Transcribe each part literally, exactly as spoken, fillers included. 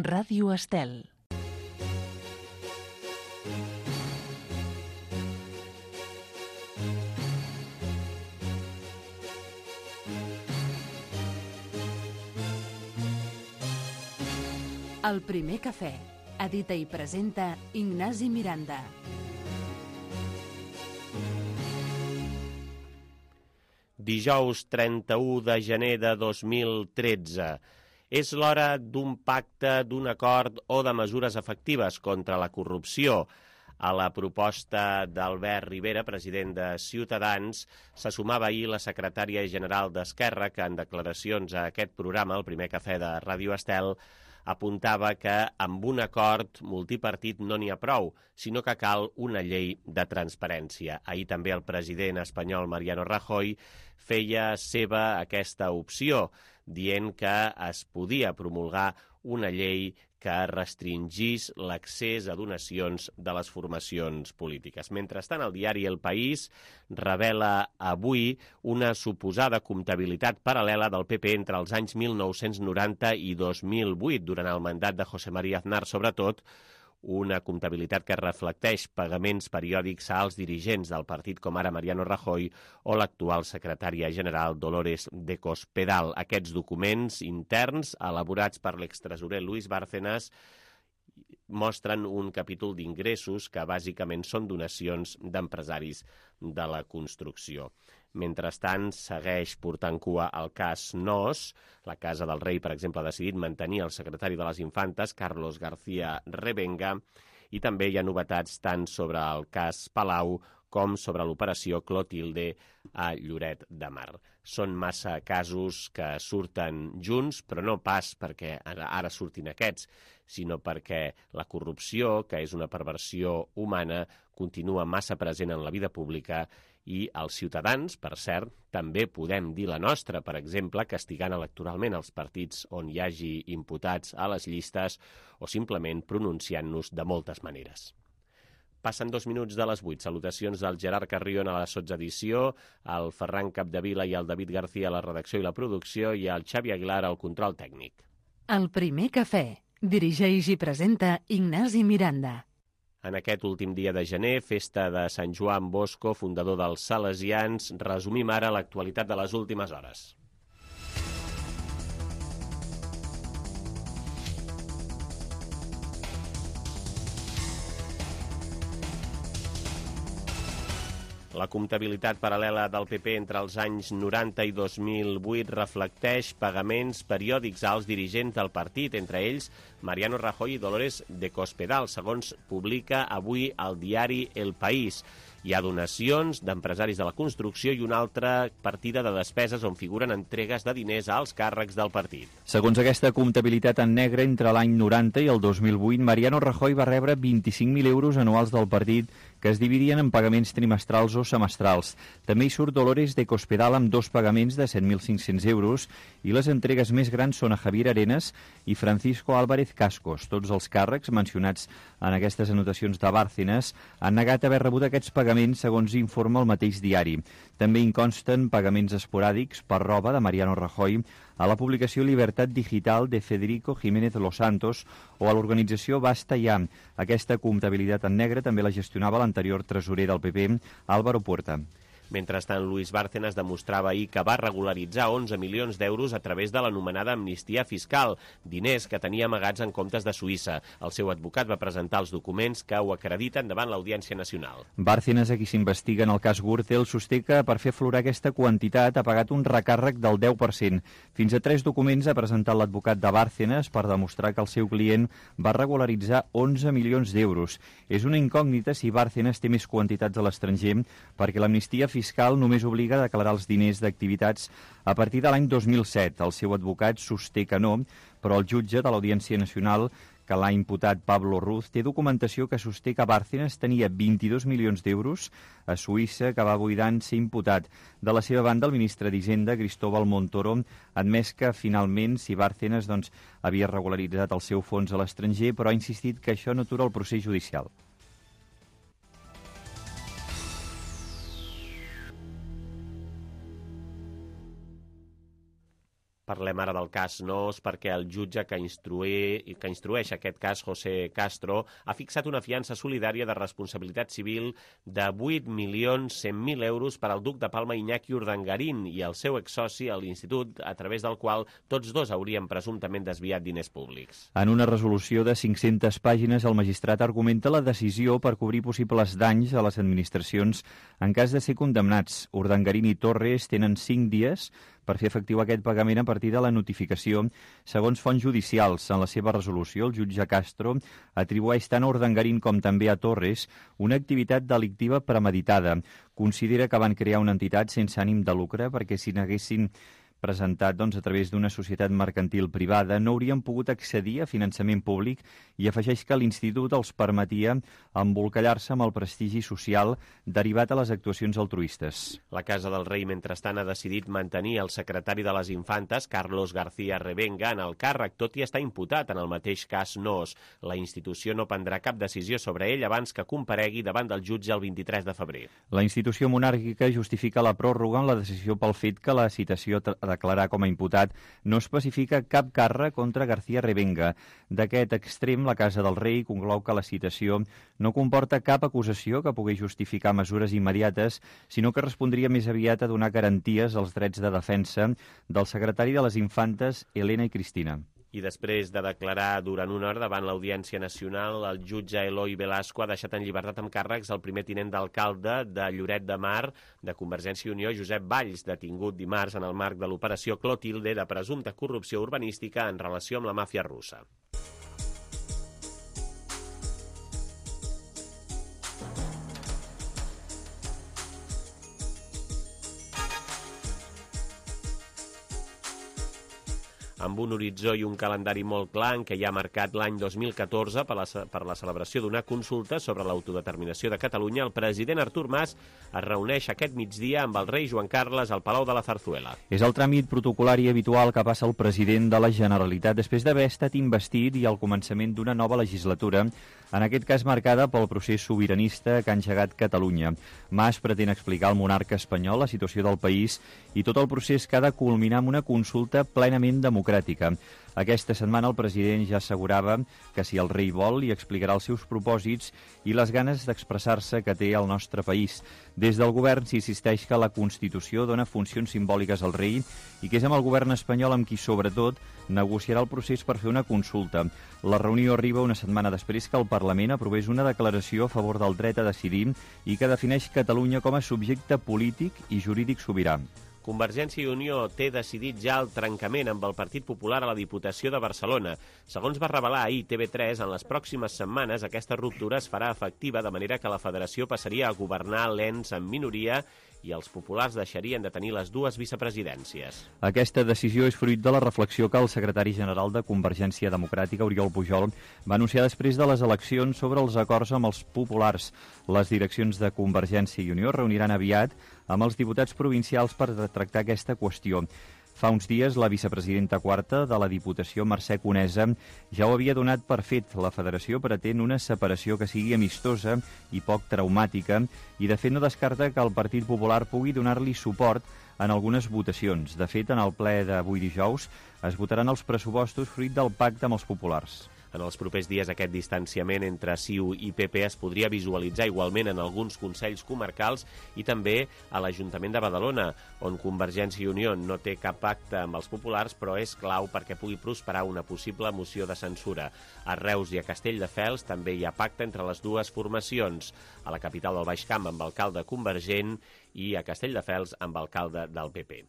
Ràdio Estel. El primer cafè. Edita i presenta Ignasi Miranda. Dijous trenta-u de gener de dos mil tretze. És l'hora d'un pacte, d'un acord o de mesures efectives contra la corrupció. A la proposta d'Albert Rivera, president de Ciutadans, se sumava ahir la secretària general d'Esquerra, que en declaracions a aquest programa, el primer cafè de Ràdio Estel, apuntava que amb un acord multipartit no n'hi ha prou, sinó que cal una llei de transparència. Ahir també el president espanyol Mariano Rajoy feia seva aquesta opció, dient que es podia promulgar una llei que restringís l'accés a donacions de les formacions polítiques. Mentrestant, el diari El País revela avui una suposada comptabilitat paral·lela del P P entre els anys mil nou-cents noranta i dos mil vuit, durant el mandat de José María Aznar, sobretot, una comptabilitat que reflecteix pagaments periòdics a alts dirigents del partit, com ara Mariano Rajoy o l'actual secretària general Dolores de Cospedal. Aquests documents interns, elaborats per l'extresorer Luis Bárcenas, mostren un capítol d'ingressos que bàsicament són donacions d'empresaris de la construcció. Mentrestant, segueix portant cua el cas Nos. La Casa del Rei, per exemple, ha decidit mantenir el secretari de les Infantes, Carlos García Revenga, i també hi ha novetats tant sobre el cas Palau com sobre l'operació Clotilde a Lloret de Mar. Són massa casos que surten junts, però no pas perquè ara surtin aquests, sinó perquè la corrupció, que és una perversió humana, continua massa present en la vida pública i els ciutadans, per cert, també podem dir la nostra, per exemple, castigant electoralment els partits on hi hagi imputats a les llistes o simplement pronunciant-nos de moltes maneres. Passen dos minuts de les vuit. Salutacions del Gerard Carrion a la sotsedició, al Ferran Capdevila i al David García a la redacció i la producció i al Xavi Aguilar al control tècnic. El primer cafè. Dirigeix i presenta Ignasi Miranda. En aquest últim dia de gener, festa de Sant Joan Bosco, fundador dels Salesians, resumim ara l'actualitat de les últimes hores. La comptabilitat paral·lela del P P entre els anys noranta i dos mil vuit reflecteix pagaments periòdics als dirigents del partit, entre ells Mariano Rajoy i Dolores de Cospedal, segons publica avui el diari El País. Hi ha donacions d'empresaris de la construcció i una altra partida de despeses on figuren entregues de diners als càrrecs del partit. Segons aquesta comptabilitat en negre, entre l'any noranta i el dos mil vuit, Mariano Rajoy va rebre vint-i-cinc mil euros anuals del partit que es dividien en pagaments trimestrals o semestrals. També hi surt Dolores de Cospedal amb dos pagaments de set mil cinc-cents euros i les entregues més grans són a Javier Arenas i Francisco Álvarez Cascos. Tots els càrrecs mencionats en aquestes anotacions de Bárcenas han negat haver rebut aquests pagaments, segons informa el mateix diari. També hi consten pagaments esporàdics per roba de Mariano Rajoy a la publicació Libertad Digital de Federico Jiménez Los Santos o a l'organització Basta Ya. Aquesta comptabilitat en negre també la gestionava l'anterior tresorer del P P, Álvaro Puerta. Mentrestant, Luis Bárcenas demostrava ahir que va regularitzar onze milions d'euros a través de l'anomenada amnistia fiscal, diners que tenia amagats en comptes de Suïssa. El seu advocat va presentar els documents que ho acrediten davant l'Audiència Nacional. Bárcenas, a qui s'investiga en el cas Gürtel, sosté que per fer aflorar aquesta quantitat ha pagat un recàrrec del deu per cent. Fins a tres documents ha presentat l'advocat de Bárcenas per demostrar que el seu client va regularitzar onze milions d'euros. És una incògnita si Bárcenas té més quantitats a l'estranger, perquè l'amnistia fiscal només obliga a declarar els diners d'activitats a partir de l'any dos mil set. El seu advocat sosté que no, però el jutge de l'Audiència Nacional, que l'ha imputat Pablo Ruz, té documentació que sosté que Bárcenas tenia vint-i-dos milions d'euros a Suïssa que va buidar en ser imputat. De la seva banda, el ministre d'Hisenda, Cristóbal Montoro, ha admès que finalment si Bárcenas doncs, havia regularitzat el seu fons a l'estranger, però ha insistit que això no atura el procés judicial. Parlem ara del cas Nos perquè el jutge que, instruï, que instrueix aquest cas, José Castro, ha fixat una fiança solidària de responsabilitat civil de vuit milions cent mil euros per al duc de Palma Iñaki Urdangarín i el seu exsoci a l'institut, a través del qual tots dos haurien presumptament desviat diners públics. En una resolució de cinc-centes pàgines, el magistrat argumenta la decisió per cobrir possibles danys a les administracions en cas de ser condemnats. Urdangarín i Torres tenen cinc dies per fer efectiu aquest pagament a partir de la notificació. Segons fonts judicials, en la seva resolució, el jutge Castro atribueix tant a Urdangarín com també a Torres una activitat delictiva premeditada. Considera que van crear una entitat sense ànim de lucre perquè si n'haguessin presentat doncs, a través d'una societat mercantil privada, no haurien pogut accedir a finançament públic i afegeix que l'Institut els permetia embolcallar-se amb el prestigi social derivat a les actuacions altruistes. La Casa del Rei, mentrestant, ha decidit mantenir el secretari de les Infantes, Carlos García Revenga, en el càrrec, tot i estar imputat en el mateix cas Nos. La institució no prendrà cap decisió sobre ell abans que comparegui davant del jutge el vint-i-tres de febrer. La institució monàrquica justifica la pròrroga en la decisió pel fet que la citació a declarar com a imputat no especifica cap càrrec contra García Revenga. D'aquest extrem, la Casa del Rei conclou que la citació no comporta cap acusació que pugui justificar mesures immediates, sinó que respondria més aviat a donar garanties als drets de defensa del secretari de les Infantes, Elena i Cristina. I després de declarar durant una hora davant l'Audiència Nacional, el jutge Eloi Velasco ha deixat en llibertat amb càrrecs el primer tinent d'alcalde de Lloret de Mar, de Convergència i Unió, Josep Valls, detingut dimarts en el marc de l'operació Clotilde de presumpta corrupció urbanística en relació amb la màfia russa. Amb un horitzó i un calendari molt clar en què ja ha marcat l'any dos mil catorze per la, per la celebració d'una consulta sobre l'autodeterminació de Catalunya, el president Artur Mas es reuneix aquest migdia amb el rei Joan Carles al Palau de la Zarzuela. És el tràmit protocolari habitual que passa el president de la Generalitat després d'haver estat investit i al començament d'una nova legislatura, en aquest cas marcada pel procés sobiranista que ha engegat Catalunya. Mas pretén explicar al monarca espanyol la situació del país i tot el procés que ha de culminar amb una consulta plenament democràtica. Aquesta setmana el president ja assegurava que si el rei vol li explicarà els seus propòsits i les ganes d'expressar-se que té al nostre país. Des del govern s'insisteix que la Constitució dona funcions simbòliques al rei i que és amb el govern espanyol amb qui, sobretot, negociarà el procés per fer una consulta. La reunió arriba una setmana després que el Parlament aprovés una declaració a favor del dret a decidir i que defineix Catalunya com a subjecte polític i jurídic sobirà. Convergència i Unió té decidit ja el trencament amb el Partit Popular a la Diputació de Barcelona. Segons va revelar ahir T V tres, en les pròximes setmanes aquesta ruptura es farà efectiva, de manera que la federació passaria a governar l'ens en minoria i els populars deixarien de tenir les dues vicepresidències. Aquesta decisió és fruit de la reflexió que el secretari general de Convergència Democràtica, Oriol Pujol, va anunciar després de les eleccions sobre els acords amb els populars. Les direccions de Convergència i Unió reuniran aviat amb els diputats provincials per tractar aquesta qüestió. Fa uns dies, la vicepresidenta quarta de la Diputació, Mercè Conesa, ja ho havia donat per fet. La federació pretén una separació que sigui amistosa i poc traumàtica i, de fet, no descarta que el Partit Popular pugui donar-li suport en algunes votacions. De fet, en el ple d'avui dijous es votaran els pressupostos fruit del pacte amb els populars. En els propers dies aquest distanciament entre C I U i P P es podria visualitzar igualment en alguns consells comarcals i també a l'Ajuntament de Badalona, on Convergència i Unió no té cap pacte amb els populars, però és clau perquè pugui prosperar una possible moció de censura. A Reus i a Castelldefels també hi ha pacte entre les dues formacions, a la capital del Baix Camp amb alcalde convergent i a Castelldefels amb alcalde del P P.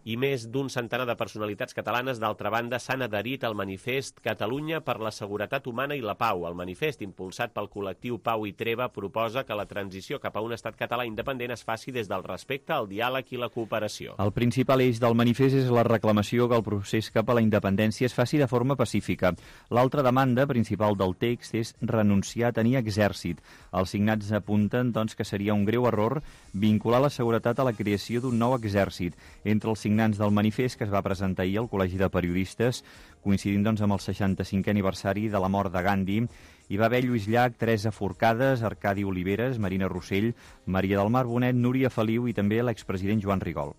I més d'un centenar de personalitats catalanes, d'altra banda, s'han adherit al manifest Catalunya per la seguretat humana i la pau. El manifest, impulsat pel col·lectiu Pau i Treva, proposa que la transició cap a un estat català independent es faci des del respecte, el diàleg i la cooperació. El principal eix del manifest és la reclamació que el procés cap a la independència es faci de forma pacífica. L'altra demanda principal del text és renunciar a tenir exèrcit. Els signats apunten doncs, que seria un greu error vincular la seguretat a la creació d'un nou exèrcit. Entre els signants del manifest, que es va presentar ahir al Col·legi de Periodistes, coincidint doncs, amb el seixanta-cinquè aniversari de la mort de Gandhi, hi va haver Lluís Llach, Teresa Forcades, Arcadi Oliveres, Marina Rossell, Maria del Mar Bonet, Núria Feliu i també l'expresident Joan Rigol.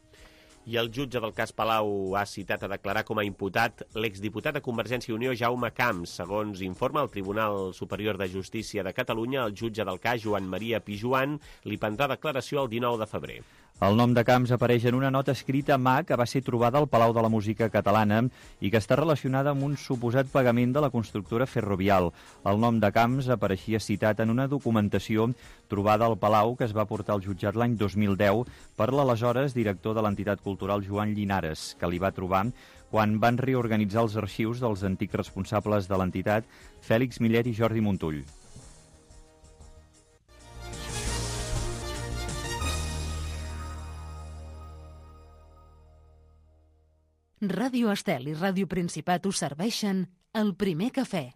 I el jutge del cas Palau ha citat a declarar com a imputat l'exdiputat de Convergència i Unió Jaume Camps. Segons informa el Tribunal Superior de Justícia de Catalunya, el jutge del cas, Joan Maria Pijuan, li prendrà declaració el dinou de febrer. El nom de Camps apareix en una nota escrita a mà que va ser trobada al Palau de la Música Catalana i que està relacionada amb un suposat pagament de la constructora Ferrovial. El nom de Camps apareixia citat en una documentació trobada al Palau que es va portar al jutjat l'any dos mil deu per l'aleshores director de l'entitat cultural Joan Llinares, que li va trobar quan van reorganitzar els arxius dels antics responsables de l'entitat, Fèlix Millet i Jordi Montull. Ràdio Estel i Ràdio Principat us serveixen el primer cafè.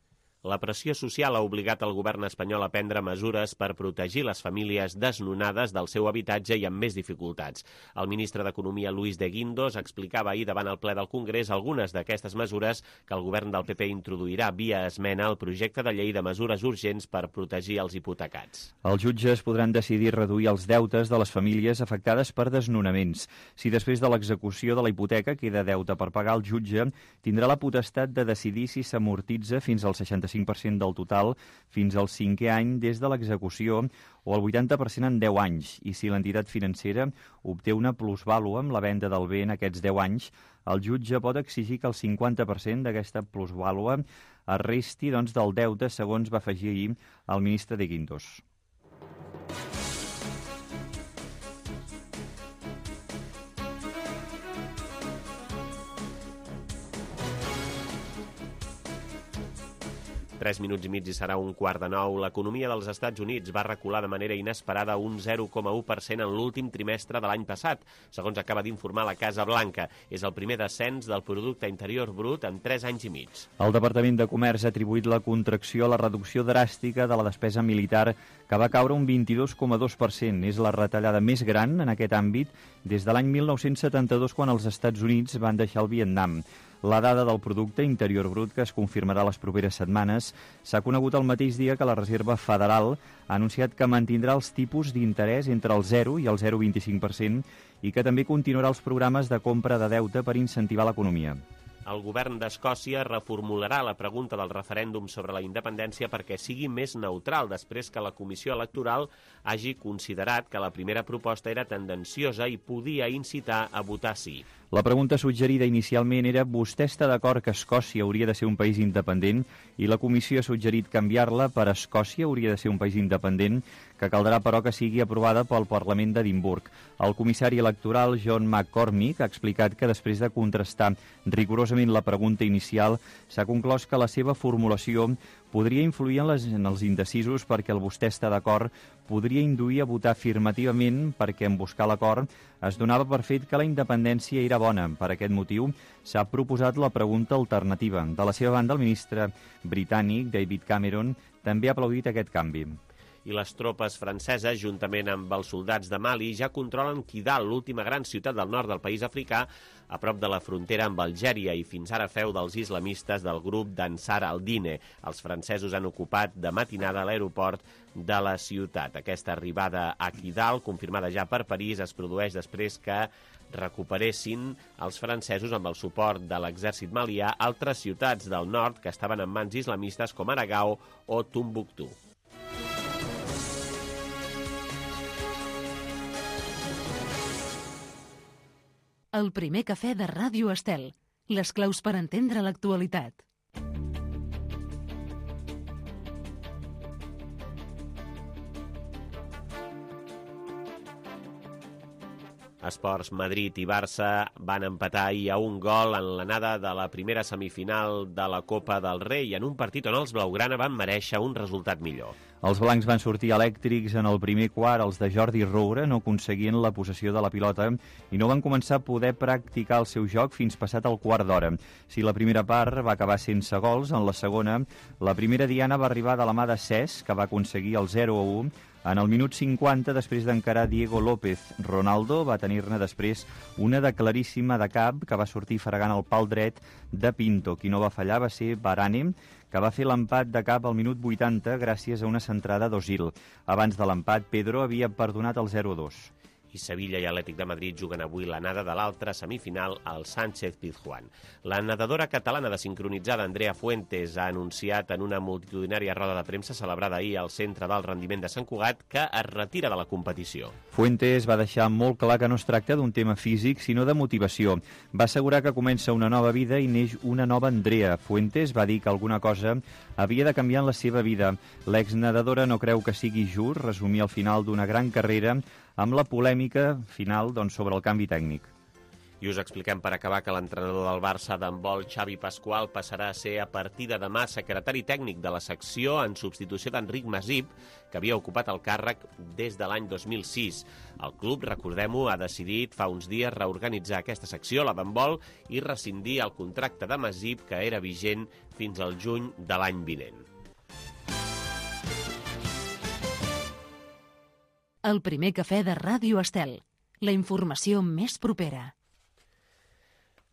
La pressió social ha obligat el govern espanyol a prendre mesures per protegir les famílies desnonades del seu habitatge i amb més dificultats. El ministre d'Economia, Luis de Guindos, explicava ahir davant el ple del Congrés algunes d'aquestes mesures que el govern del P P introduirà via esmena al projecte de llei de mesures urgents per protegir els hipotecats. Els jutges podran decidir reduir els deutes de les famílies afectades per desnonaments. Si després de l'execució de la hipoteca queda deute per pagar, el jutge tindrà la potestat de decidir si s'amortitza fins al seixanta-cinc per cent del total fins al cinquè any des de l'execució o el vuitanta per cent en deu anys, i si l'entitat financera obté una plusvàlua amb la venda del bé en aquests deu anys, el jutge pot exigir que el cinquanta per cent d'aquesta plusvàlua es resti doncs, del deute, segons va afegir ahir el ministre de Guindos. Tres minuts i mig i serà un quart de nou. L'economia dels Estats Units va recular de manera inesperada un zero coma u per cent en l'últim trimestre de l'any passat, segons acaba d'informar la Casa Blanca. És el primer descens del producte interior brut en tres anys i mig. El Departament de Comerç ha atribuït la contracció a la reducció dràstica de la despesa militar, que va caure un vint-i-dos coma dos per cent. És la retallada més gran en aquest àmbit des de l'any mil nou-cents setanta-dos, quan els Estats Units van deixar el Vietnam. La dada del producte interior brut, que es confirmarà les properes setmanes, s'ha conegut el mateix dia que la Reserva Federal ha anunciat que mantindrà els tipus d'interès entre el zero i el zero coma vint-i-cinc per cent i que també continuarà els programes de compra de deute per incentivar l'economia. El govern d'Escòcia reformularà la pregunta del referèndum sobre la independència perquè sigui més neutral, després que la Comissió Electoral hagi considerat que la primera proposta era tendenciosa i podia incitar a votar sí. La pregunta suggerida inicialment era: vostè està d'acord que Escòcia hauria de ser un país independent? I la Comissió ha suggerit canviar-la per Escòcia hauria de ser un país independent, que caldrà però que sigui aprovada pel Parlament d'Edimburg. El comissari electoral John McCormick ha explicat que després de contrastar rigorosament la pregunta inicial s'ha conclòs que la seva formulació podria influir en, les, en els indecisos, perquè el vostè està d'acord podria induir a votar afirmativament, perquè en buscar l'acord es donava per fet que la independència era bona. Per aquest motiu s'ha proposat la pregunta alternativa. De la seva banda, el ministre britànic David Cameron també ha aplaudit aquest canvi. I les tropes franceses, juntament amb els soldats de Mali, ja controlen Kidal, l'última gran ciutat del nord del país africà, a prop de la frontera amb Algèria i fins ara feu dels islamistes del grup d'Ansar al-Dine. Els francesos han ocupat de matinada l'aeroport de la ciutat. Aquesta arribada a Kidal, confirmada ja per París, es produeix després que recuperessin els francesos, amb el suport de l'exèrcit malià, altres ciutats del nord que estaven en mans islamistes com ara Gao o Tombouctou. El primer cafè de Ràdio Estel. Les claus per entendre l'actualitat. Esports, Madrid i Barça van empatar ahir a un gol en l'anada de la primera semifinal de la Copa del Rei, en un partit on els blaugrana van merèixer un resultat millor. Els blancs van sortir elèctrics en el primer quart. Els de Jordi Roure no aconseguien la possessió de la pilota i no van començar a poder practicar el seu joc fins passat el quart d'hora. Si la primera part va acabar sense gols, en la segona, la primera diana va arribar de la mà de Cesc, que va aconseguir el zero a u en el minut cinquanta, després d'encarar Diego López. Ronaldo va tenir-ne després una de claríssima de cap, que va sortir fregant el pal dret de Pinto. Qui no va fallar va ser Varane, que va fer l'empat de cap al minut vuitanta gràcies a una centrada d'Ozil. Abans de l'empat, Pedro havia perdonat el zero a dos. i Sevilla i Atlètic de Madrid juguen avui la nada de l'altra semifinal al Sánchez-Pizjuán. La nedadora catalana de sincronitzada Andrea Fuentes ha anunciat en una multitudinària roda de premsa celebrada ahir al Centre d'Alt Rendiment de Sant Cugat que es retira de la competició. Fuentes va deixar molt clar que no es tracta d'un tema físic, sinó de motivació. Va assegurar que comença una nova vida i neix una nova Andrea. Fuentes va dir que alguna cosa havia de canviar en la seva vida. L'exnedadora no creu que sigui just resumir el final d'una gran carrera amb la polèmica final doncs, sobre el canvi tècnic. I us expliquem per acabar que l'entrenador del Barça d'handbol, Xavi Pasqual, passarà a ser a partir de demà secretari tècnic de la secció en substitució d'Enric Masip, que havia ocupat el càrrec des de l'any dos mil sis. El club, recordem-ho, ha decidit fa uns dies reorganitzar aquesta secció, la d'handbol, i rescindir el contracte de Masip, que era vigent fins al juny de l'any vinent. El primer cafè de Ràdio Estel. La informació més propera.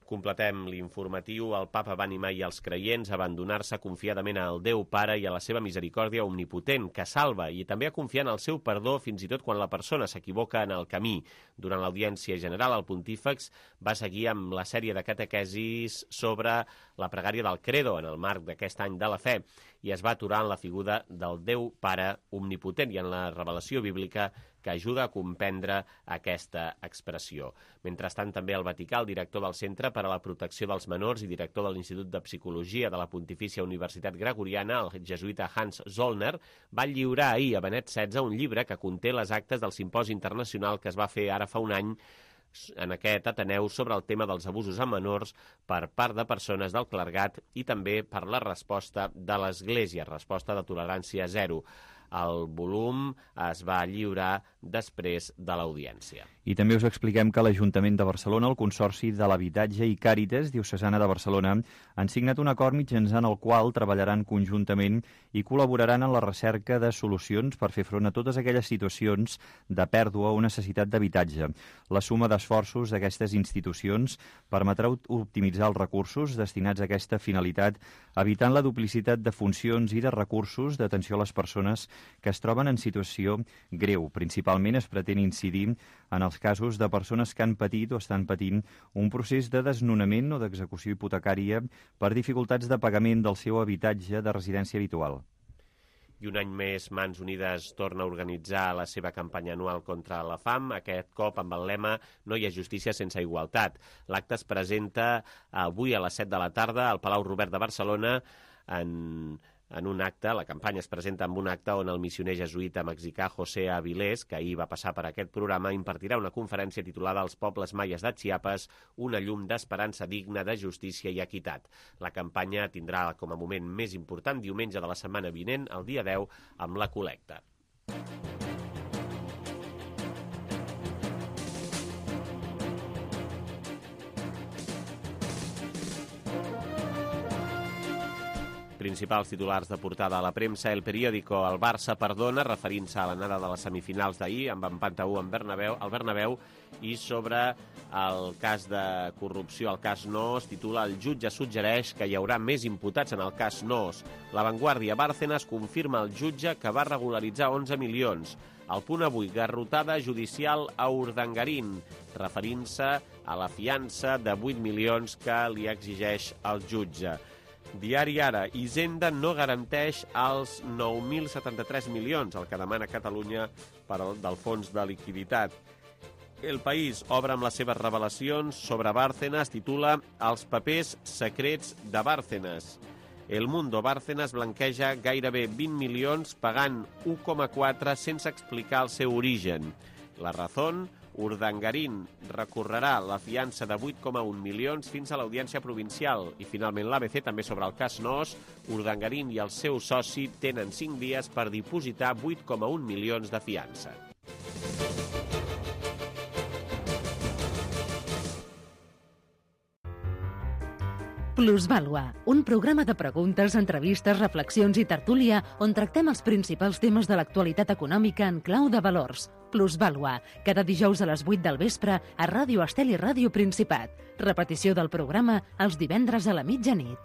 Completem l'informatiu. El papa va animar i els creients a abandonar-se confiadament al Déu Pare i a la seva misericòrdia omnipotent, que salva, i també a confiar en el seu perdó fins i tot quan la persona s'equivoca en el camí. Durant l'audiència general, el pontífex va seguir amb la sèrie de catequesis sobre la pregària del Credo en el marc d'aquest any de la fe i es va aturar en la figura del Déu Pare omnipotent i en la revelació bíblica que ajuda a comprendre aquesta expressió. Mentrestant, també el Vaticà, el director del Centre per a la Protecció dels Menors i director de l'Institut de Psicologia de la Pontifícia Universitat Gregoriana, el jesuïta Hans Zollner, va lliurar ahir a Benet setze un llibre que conté les actes del simposi internacional que es va fer ara fa un any en aquest Ateneu sobre el tema dels abusos a menors per part de persones del clergat i també per la resposta de l'Església, resposta de tolerància zero. El volum es va lliurar després de l'audiència. I també us expliquem que l'Ajuntament de Barcelona, el Consorci de l'Habitatge i Càritas Diocesana de Barcelona han signat un acord mitjançant el qual treballaran conjuntament i col·laboraran en la recerca de solucions per fer front a totes aquelles situacions de pèrdua o necessitat d'habitatge. La suma d'esforços d'aquestes institucions permetrà optimitzar els recursos destinats a aquesta finalitat, evitant la duplicitat de funcions i de recursos d'atenció a les persones que es troben en situació greu. Principalment es pretén incidir en els casos de persones que han patit o estan patint un procés de desnonament o d'execució hipotecària per dificultats de pagament del seu habitatge de residència habitual. I un any més, Mans Unides torna a organitzar la seva campanya anual contra la fam, aquest cop amb el lema "No hi ha justícia sense igualtat". L'acte es presenta avui a les set de la tarda al Palau Robert de Barcelona en... En un acte, la campanya es presenta en un acte on el missioner jesuïta mexicà José Avilés, que ahir va passar per aquest programa, impartirà una conferència titulada "Els pobles maies de Chiapas, una llum d'esperança digna de justícia i equitat". La campanya tindrà com a moment més important diumenge de la setmana vinent, el dia deu, amb la col·lecta. Principals titulars de portada a la premsa. El periòdico "El Barça perdona", referint-se a l'anada de les semifinals d'ahir, amb empat a u en Bernabéu, al Bernabéu, i sobre el cas de corrupció, el cas Noos, titula "El jutge suggereix que hi haurà més imputats en el cas Noos". La Vanguardia: Bárcenas confirma al jutge que va regularitzar onze milions. El Punt avui: garrotada judicial a Urdangarín, referint-se a la fiança de vuit milions que li exigeix el jutge. Diari Ara: Hisenda no garanteix els nou mil setanta-tres milions, el que demana Catalunya per al, del fons de liquiditat. El País obre amb les seves revelacions sobre Bárcenas, titula "Els papers secrets de Bárcenas". El Mundo: Bárcenas blanqueja gairebé vint milions pagant u coma quatre sense explicar el seu origen. La Razón: Urdangarín recorrerà la fiança de vuit coma un milions fins a l'audiència provincial. I finalment l'A B C també sobre el cas Noos: Urdangarín i el seu soci tenen cinc dies per dipositar vuit coma un milions de fiança. Plusvàlua, un programa de preguntes, entrevistes, reflexions i tertúlia on tractem els principals temes de l'actualitat econòmica en clau de valors. Plusvàlua, cada dijous a les vuit del vespre a Ràdio Estel i Ràdio Principat. Repetició del programa els divendres a la mitjanit.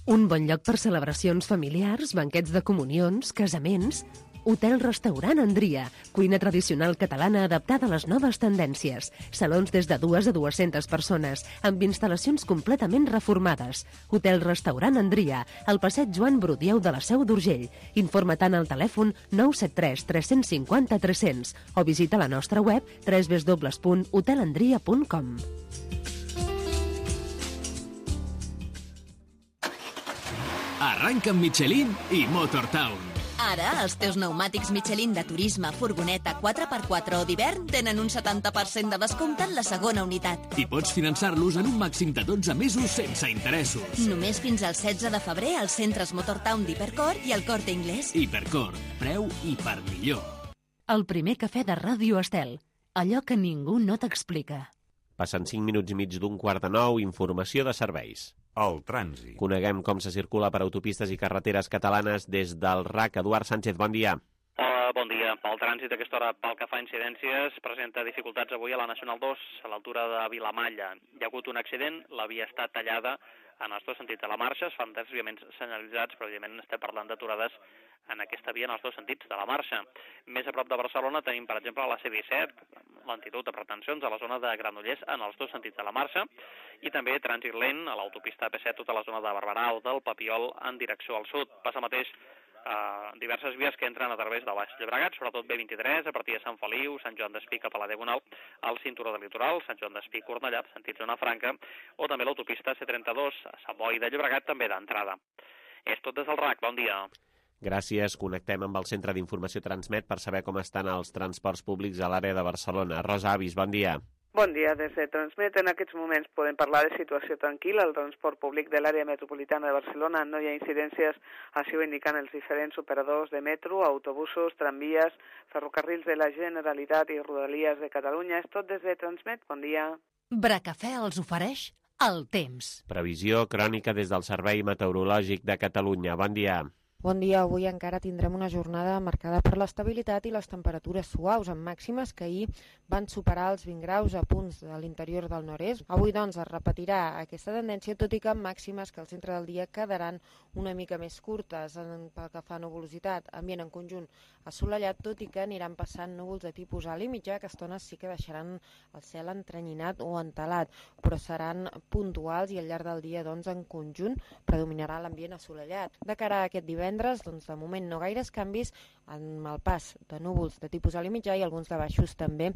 Un bon lloc per celebracions familiars, banquets de comunions, casaments... Hotel-restaurant Andria, cuina tradicional catalana adaptada a les noves tendències. Salons des de dues a dues-centes persones, amb instal·lacions completament reformades. Hotel-restaurant Andria, al passeig Joan Brudieu de la Seu d'Urgell. Informa-te'n al telèfon nou set tres tres cinc zero tres cents o visita la nostra web w w w punt hotelandria punt com. Arranca amb Michelin i Motortown. Ara, els teus pneumàtics Michelin de turisme, furgoneta, quatre per quatre o d'hivern tenen un setanta per cent de descompte en la segona unitat. I pots finançar-los en un màxim de dotze mesos sense interessos. Només fins al setze de febrer als centres Motortown d'Hipercor i al Corte Inglés. Hipercor, preu i per millor. El primer cafè de Ràdio Estel. Allò que ningú no t'explica. Passen cinc minuts i mig d'un quart de nou, informació de serveis. El trànsit. Coneguem com se circula per autopistes i carreteres catalanes des del R A C. Eduard Sánchez, bon dia. Hola, bon dia. El trànsit a aquesta hora, pel que fa a incidències, presenta dificultats avui a la Nacional dos, a l'altura de Vilamalla. Hi ha hagut un accident, la via està tallada en els dos sentits de la marxa, es fan desviaments senyalitzats, però evidentment estem parlant d'aturades en aquesta via en els dos sentits de la marxa. Més a prop de Barcelona tenim, per exemple, la C disset, lentitud de pretensions a la zona de Granollers en els dos sentits de la marxa, i també trànsit lent a l'autopista A P set, tota la zona de Barberà o del Papiol en direcció al sud. Passa mateix Uh, diverses vies que entren a través de Baix Llobregat, sobretot B vint-i-tres, a partir de Sant Feliu, Sant Joan d'Espí cap a la Diagonal, al cinturó del litoral, Sant Joan d'Espí, Cornellà, sentit zona franca, o també l'autopista C trenta-dos, a Sant Boi de Llobregat, també d'entrada. És tot des del R A C, bon dia. Gràcies, connectem amb el Centre d'Informació Transmet per saber com estan els transports públics a l'àrea de Barcelona. Rosa Avis, bon dia. Bon dia, des de Transmet. En aquests moments podem parlar de situació tranquil·la. El transport públic de l'àrea metropolitana de Barcelona no hi ha incidències, així ho indiquen els diferents operadors de metro, autobusos, tramvies, ferrocarrils de la Generalitat i Rodalies de Catalunya. És tot des de Transmet. Bon dia. Bracafè els ofereix el temps. Previsió crònica des del Servei Meteorològic de Catalunya. Bon dia. Bon dia. Avui encara tindrem una jornada marcada per l'estabilitat i les temperatures suaus, amb màximes que ahir van superar els vint graus a punts de l'interior del nord-est. Avui, doncs, es repetirà aquesta tendència, tot i que amb màximes que al centre del dia quedaran una mica més curtes en, pel que fa a nuvolositat. Ambient en conjunt assolellat, tot i que aniran passant núvols de tipus alt i mitjà, que a estones sí que deixaran el cel entrenyinat o entelat, però seran puntuals i al llarg del dia, doncs, en conjunt predominarà l'ambient assolellat. De cara a aquest divendres, doncs, de moment no gaires canvis, amb el pas de núvols de tipus alt i mitjà i alguns de baixos també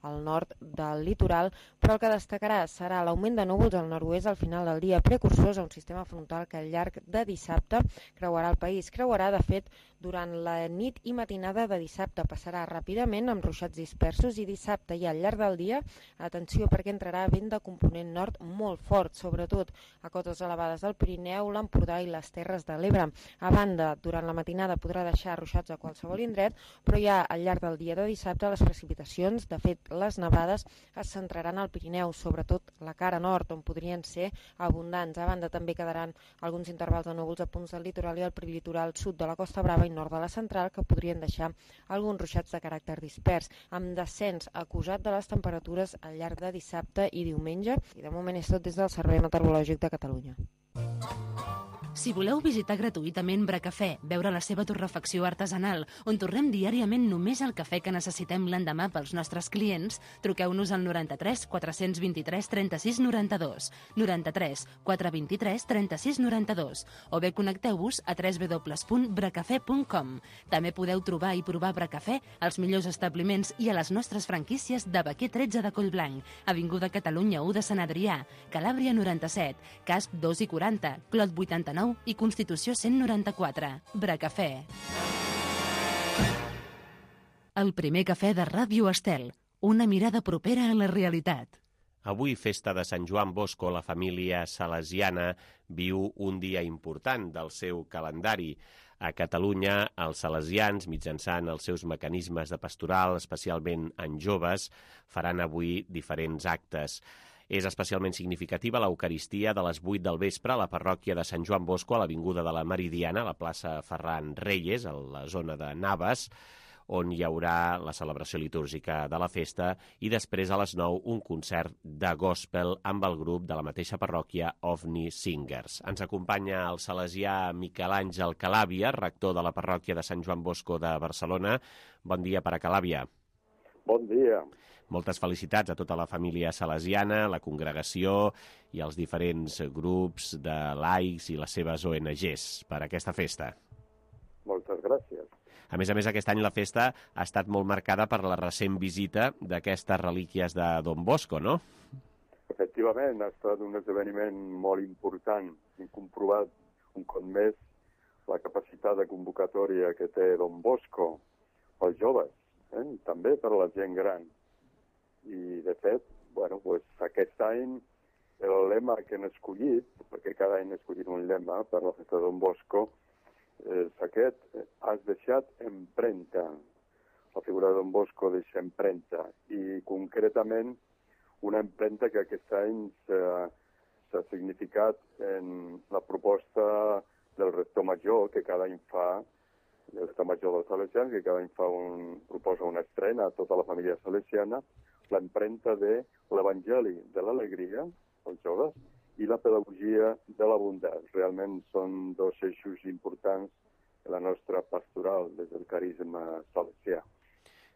al nord del litoral, però el que destacarà serà l'augment de núvols al nord-oest al final del dia, precursors a un sistema frontal que al llarg de dissabte creuarà el país. Creuarà, de fet, durant la nit i matinada de dissabte. Passarà ràpidament amb ruixats dispersos i dissabte i al llarg del dia, atenció perquè entrarà vent de component nord molt fort, sobretot a cotes elevades del Pirineu, l'Empordà i les Terres de l'Ebre. A banda, durant la matinada podrà deixar ruixats a qualsevol indret, però ja al llarg del dia de dissabte les precipitacions, de fet les nevades, es centraran al Pirineu, sobretot la cara nord, on podrien ser abundants. A banda també quedaran alguns intervals de núvols a punts del litoral i al prelitoral sud de la Costa Brava i nord de la central, que podrien deixar alguns ruixats de caràcter dispers, amb descens acusat de les temperatures al llarg de dissabte i diumenge. I de moment és tot des del Servei Meteorològic de Catalunya. Si voleu visitar gratuïtament Bracafè, veure la seva torrefacció artesanal, on torrem diàriament només el cafè que necessitem l'endemà pels nostres clients, truqueu-nos al noranta-tres quatre vint-i-tres trenta-sis noranta-dos, noranta-tres quatre vint-i-tres trenta-sis noranta-dos, o bé connecteu-vos a w w w punt bracafè punt com. També podeu trobar i provar Bracafè als millors establiments i a les nostres franquícies de Baquer tretze de Collblanc, Avinguda Catalunya u de Sant Adrià, Calàbria noranta-set, Casp dos i quaranta, Clot vuitanta-nou i Constitució cent noranta-quatre. Bracafè. El primer cafè de Ràdio Estel. Una mirada propera a la realitat. Avui, festa de Sant Joan Bosco, la família salesiana viu un dia important del seu calendari. A Catalunya, els salesians, mitjançant els seus mecanismes de pastoral, especialment en joves, faran avui diferents actes. És especialment significativa l'Eucaristia de les vuit del vespre a la parròquia de Sant Joan Bosco, a l'Avinguda de la Meridiana, a la plaça Ferran Reyes, a la zona de Navas, on hi haurà la celebració litúrgica de la festa i després a les nou un concert de gospel amb el grup de la mateixa parròquia Ovni Singers. Ens acompanya el salesià Miquel Àngel Calàbia, rector de la parròquia de Sant Joan Bosco de Barcelona. Bon dia per a Calàbia. Bon dia. Moltes felicitats a tota la família salesiana, la congregació i els diferents grups de laics i les seves O N Ges per aquesta festa. Moltes gràcies. A més a més, aquest any la festa ha estat molt marcada per la recent visita d'aquestes relíquies de Don Bosco, no? Efectivament, ha estat un esdeveniment molt important. Hem comprovat un cop més la capacitat de convocatòria que té Don Bosco pels joves, eh? També per a la gent gran. I, de fet, bueno, pues, aquest any el lema que hem escollit, perquè cada any hem escollit un lema per la festa de Don Bosco, és aquest: has deixat empremta. La figura de Don Bosco deixa empremta, i concretament una empremta que aquest any s'ha significat en la proposta del rector major, que cada any fa, el rector major dels salesians, que cada any fa un, proposa una estrena a tota la família salesiana, l'empremta de l'Evangeli de l'alegria, els joves, i la pedagogia de la bondat. Realment són dos eixos importants de la nostra pastoral des del carisma salesià.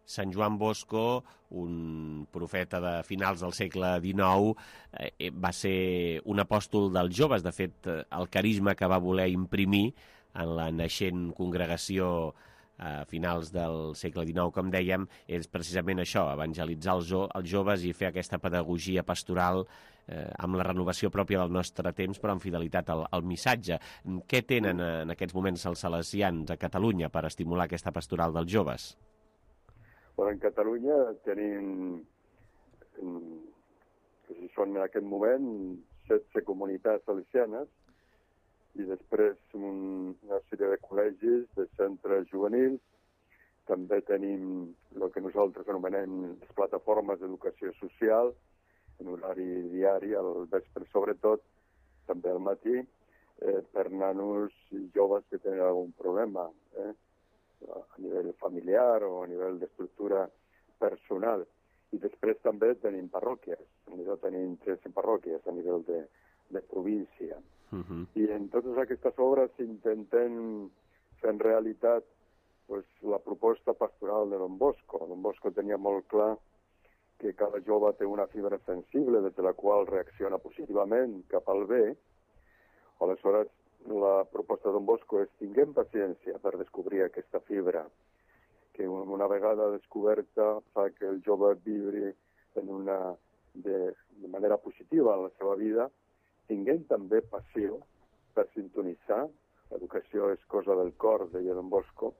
Sant Joan Bosco, un profeta de finals del segle dinou, eh, va ser un apòstol dels joves. De fet, el carisma que va voler imprimir en la naixent congregació a finals del segle dinou, com dèiem, és precisament això, evangelitzar els, jo els joves i fer aquesta pedagogia pastoral eh, amb la renovació pròpia del nostre temps, però amb fidelitat al, al missatge. Què tenen en aquests moments els salesians a Catalunya per estimular aquesta pastoral dels joves? Bueno, en Catalunya tenim, que són en aquest moment, setze comunitats salesianes, i després un, una sèrie de col·legis, de centres juvenils. També tenim el que nosaltres anomenem les plataformes d'educació social, en horari diari, al vespre sobretot, també al matí, eh, per nanos i joves que tenen algun problema, eh, a nivell familiar o a nivell d'estructura personal. I després també tenim parròquies, tenim tretze parròquies a nivell de, de província. Uh-huh. I en totes aquestes obres intentem fer en realitat pues, la proposta pastoral de Don Bosco. Don Bosco tenia molt clar que cada jove té una fibra sensible des de la qual reacciona positivament cap al bé. Aleshores, la proposta de Don Bosco és: tinguem paciència per descobrir aquesta fibra, que una vegada descoberta fa que el jove vibri en una, de, de manera positiva en la seva vida. Tinguem també passió per sintonitzar, l'educació és cosa del cor, deia Don Bosco,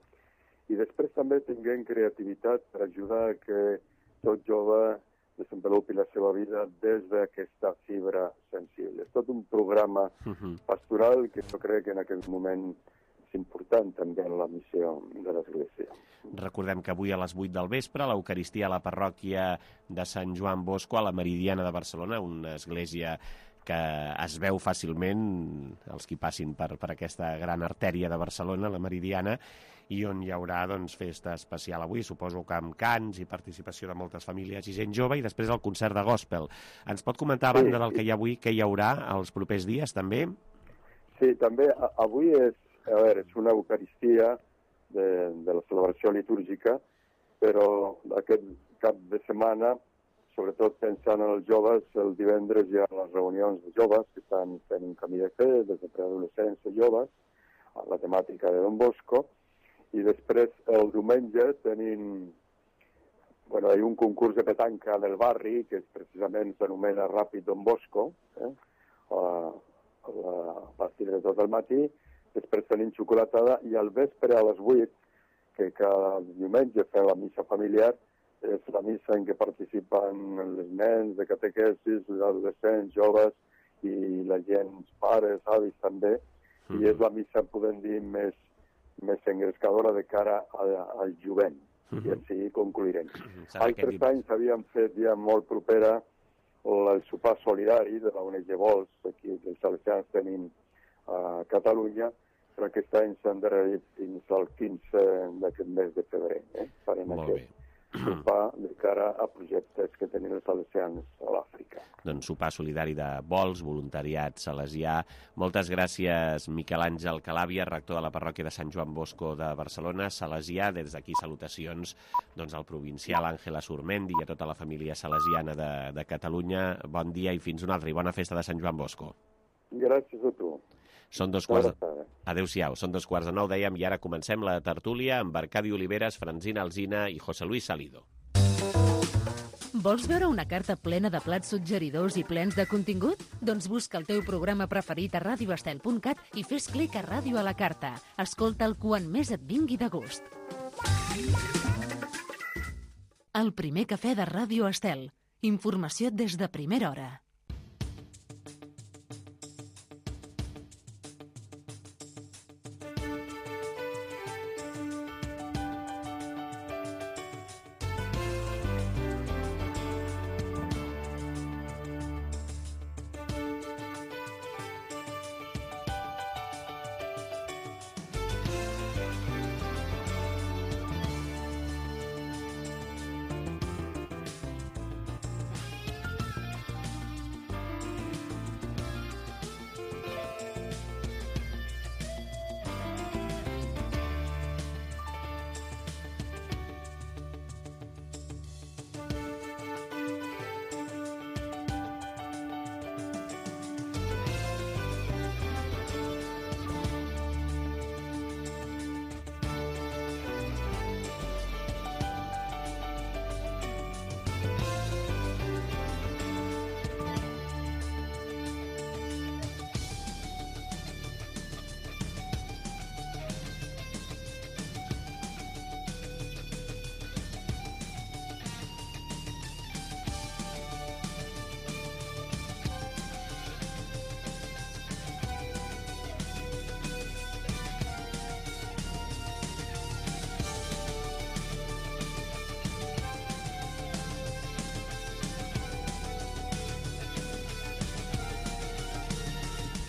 i després també tinguem creativitat per ajudar a que tot jove desenvolupi la seva vida des d'aquesta fibra sensible. És tot un programa pastoral que jo crec que en aquest moment és important també en la missió de l'Església. Recordem que avui a les vuit del vespre l'Eucaristia a la parròquia de Sant Joan Bosco, a la Meridiana de Barcelona, una església que es veu fàcilment, els qui passin per, per aquesta gran artèria de Barcelona, la Meridiana, i on hi haurà doncs, festa especial avui, suposo que amb cants i participació de moltes famílies i gent jove, i després el concert de gospel. Ens pot comentar, a banda del que hi ha avui, què hi haurà els propers dies, també? Sí, també avui és, a veure, és una eucaristia de, de la celebració litúrgica, però aquest cap de setmana, sobretot pensant en els joves, el divendres hi ha les reunions de joves que estan fent un camí de fe, des de preadolescents a joves, a la temàtica de Don Bosco, i després el diumenge tenim, bueno, hi ha un concurs de petanca del barri, que precisament s'anomena Ràpid Don Bosco, eh? a, a, a partir de tot el matí, després tenim xocolatada, i al vespre a les vuit, que cada diumenge fem la missa familiar, és la missa en què participen els nens de catequesis, els adolescents, joves i la gent, pares, avis també, mm. i és la missa, podem dir, més, més engrescadora de cara a, al jovent, mm -hmm. i així concluirem. Mm -hmm. Altres anys havíem fet ja molt propera el sopar solidari de la O N G Vols, aquí els salesians tenim a Catalunya, però aquest any s'han endarrerit fins al quinze d'aquest mes de febrer. Eh? Farem Molt aquest sopar de cara a projectes que tenen els salesians a l'Àfrica. Doncs sopar solidari de vols, voluntariat salesià. Moltes gràcies, Miquel Àngel Calàbia, rector de la parròquia de Sant Joan Bosco de Barcelona, salesià. Des d'aquí salutacions doncs, al provincial Àngela Surmendi i a tota la família salesiana de, de Catalunya. Bon dia i fins una altra, i bona festa de Sant Joan Bosco. Gràcies a tu. Són dos quarts... Adéu-siau, són dos quarts de nou, dèiem, i ara comencem la tertúlia amb Arcadi Oliveres, Francina Alsina i José Luis Salido. Vols veure una carta plena de plats suggeridors i plens de contingut? Doncs busca el teu programa preferit a radio estel punt cat i fes clic a Ràdio a la Carta. Escolta'l quan més et vingui de gust. El primer cafè de Ràdio Estel. Informació des de primera hora.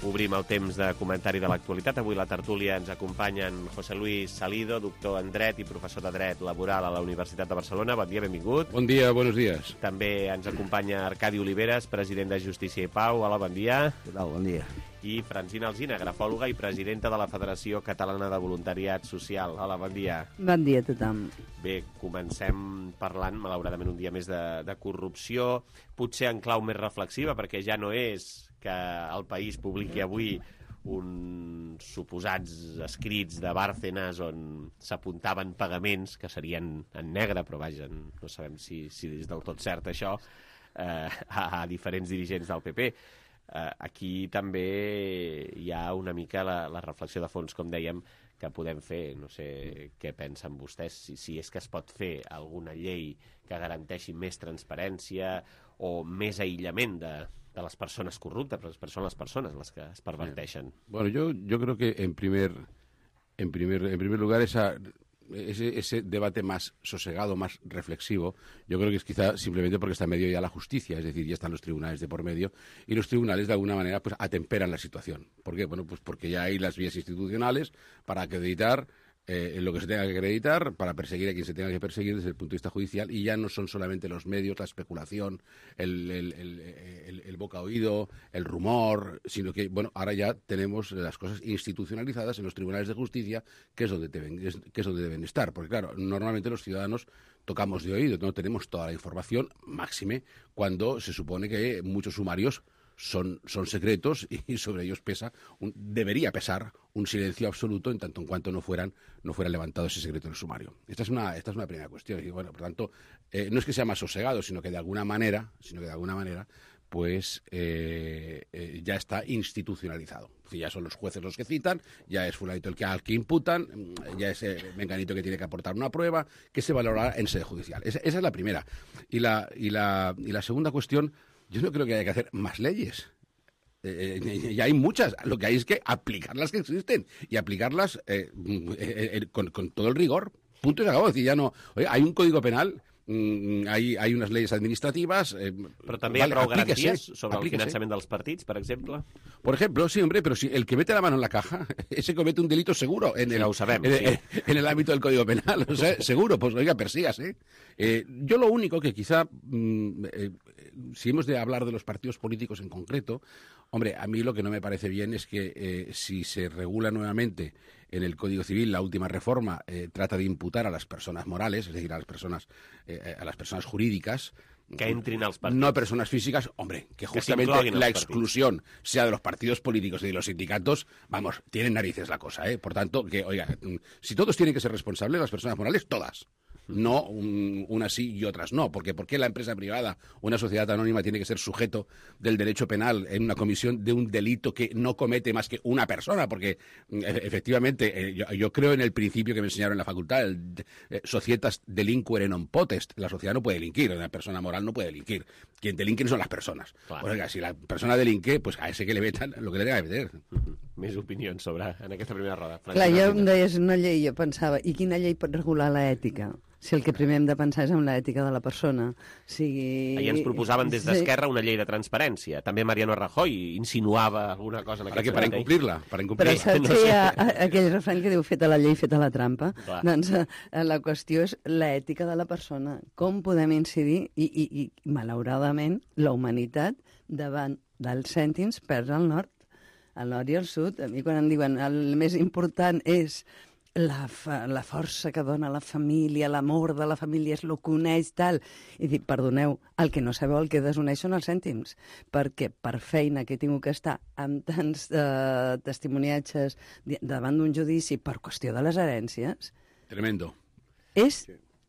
Obrim el temps de comentari de l'actualitat. Avui la tertúlia ens acompanyen José Luis Salido, doctor en Dret i professor de Dret Laboral a la Universitat de Barcelona. Bon dia, benvingut. Bon dia, buenos días. També ens acompanya Arcadi Oliveres, president de Justícia i Pau. Hola, bon dia. Què tal? Bon dia. I Francina Alsina, grafòloga i presidenta de la Federació Catalana de Voluntariat Social. Hola, bon dia. Bon dia a tothom. Bé, comencem parlant, malauradament, un dia més de, de corrupció, potser en clau més reflexiva, perquè ja no és que el País publiqui avui uns suposats escrits de Bárcenas on s'apuntaven pagaments que serien en negre, però vaja, no sabem si, si és del tot cert això, eh, a, a diferents dirigents del P P. Eh, aquí també hi ha una mica la, la reflexió de fons, com dèiem, que podem fer. No sé què pensen vostès, si, si és que es pot fer alguna llei que garanteixi més transparència o més aïllament de, de les persones corruptes, perquè són les persones les que es perverteixen. Bueno, yo, yo creo que en primer, en primer, en primer lugar esa, ese, ese debate más sosegado, más reflexivo, yo creo que es quizá simplemente porque está en medio ya la justicia, es decir, ya están los tribunales de por medio, y los tribunales de alguna manera pues atemperan la situación. ¿Por qué? Bueno, pues porque ya hay las vías institucionales para acreditar Eh, en lo que se tenga que acreditar, para perseguir a quien se tenga que perseguir desde el punto de vista judicial, y ya no son solamente los medios, la especulación, el, el, el, el, el boca oído, el rumor, sino que, bueno, ahora ya tenemos las cosas institucionalizadas en los tribunales de justicia, que es donde deben, es, que es donde deben estar, porque claro, normalmente los ciudadanos tocamos de oído, no tenemos toda la información, máxime, cuando se supone que muchos sumarios Son, son secretos y sobre ellos pesa un, debería pesar un silencio absoluto en tanto en cuanto no fueran no fuera levantado ese secreto en el sumario. Esta es una esta es una primera cuestión. Y bueno, por tanto, eh, no es que sea más sosegado, sino que de alguna manera, sino que de alguna manera, pues eh, eh, ya está institucionalizado. Es decir, ya son los jueces los que citan, ya es fulanito el que al que imputan, ya es eh, menganito que tiene que aportar una prueba, que se valorará en sede judicial. Esa, esa es la primera. Y la y la y la segunda cuestión. Yo no creo que haya que hacer más leyes. Eh, eh, ya hay muchas. Lo que hay es que aplicar las que existen y aplicarlas eh, eh, eh, con, con todo el rigor. Punto y se acabó. Es decir, ya no. Oye, hay un código penal mm, hay, hay unas leyes administrativas... Eh, Però també vale, hi ha prou aplíquese, garanties sobre aplíquese. el finançament dels partits, per exemple? Por ejemplo, sí, hombre, pero si el que mete la mano en la caja, ese comete un delito seguro en, Sí, el, lo sabemos, en, sí. en, en el ámbito del Código Penal. O sea, seguro, pues oiga, persígase. Eh, yo lo único que quizá, mm, eh, si hemos de hablar de los partidos políticos en concreto, hombre, a mí lo que no me parece bien es que eh, si se regula nuevamente en el Código Civil, la última reforma eh, trata de imputar a las personas morales, es decir, a las personas, eh, a las personas jurídicas, que entrin als partits. No personas físicas, hombre, que justamente que la exclusión sea de los partidos políticos y de los sindicatos, vamos, tienen narices la cosa, ¿eh? Por tanto, que, oiga, si todos tienen que ser responsables, las personas morales, todas. No un, unas sí y otras no, porque ¿por qué la empresa privada, una sociedad anónima, tiene que ser sujeto del derecho penal en una comisión de un delito que no comete más que una persona? Porque e efectivamente eh, yo, yo creo en el principio que me enseñaron en la facultad, el eh, societas delinquere non potest, la sociedad no puede delinquir, una persona moral no puede delinquir, quien delinquen son las personas. Claro. Pues, oiga, si la persona delinque, pues a ese que le metan lo que le tenga que meter. Uh-huh. Més opinions sobre en aquesta primera roda. Clar, jo em deies una llei, jo pensava, i quina llei pot regular l'ètica? Si el que primer hem de pensar és en l'ètica de la persona. Sigui... Ahir ens proposaven des d'Esquerra una llei de transparència. També Mariano Rajoy insinuava alguna cosa en aquest sentit. Per incomplir-la. Per incomplir Però saps que hi ha aquell refrany que diu feta la llei, feta la trampa? Clar. Doncs la qüestió és l'ètica de la persona. Com podem incidir? I, i, i malauradament, la humanitat davant dels cèntims perd el nord. Al nord i al sud. A mi quan em diuen el més important és la, fa, la força que dona la família, l'amor de la família, és el que uneix, tal. I dic, perdoneu, el que no sabeu, el que desuneix són els cèntims. Perquè per feina que he tingut que estar amb tants eh, testimoniatges davant d'un judici per qüestió de les herències... Tremendo. És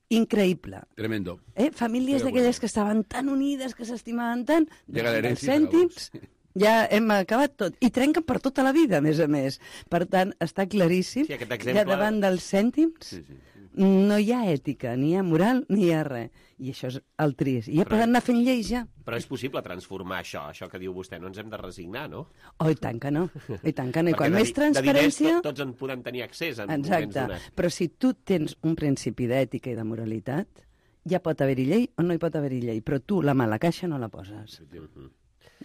increïble. Tremendo. Eh? Famílies d'aquelles que estaven tan unides, que s'estimaven tant, llega dels cèntims... Ja hem acabat tot. I trenquen per tota la vida, a més a més. Per tant, està claríssim sí, exemple... que davant dels cèntims sí, sí, sí. no hi ha ètica, ni hi ha moral, ni hi ha res. I això és el trist. I ja poden anar fent lleis, ja. Però és possible transformar això, això que diu vostè. No ens hem de resignar, no? Oh, i tant que no. I tant que no. I quan més transparència... De diners tots en podem tenir accés en Exacte. Moments donats. Però si tu tens un principi d'ètica i de moralitat, ja pot haver-hi llei o no hi pot haver-hi llei. Però tu la mala caixa no la poses.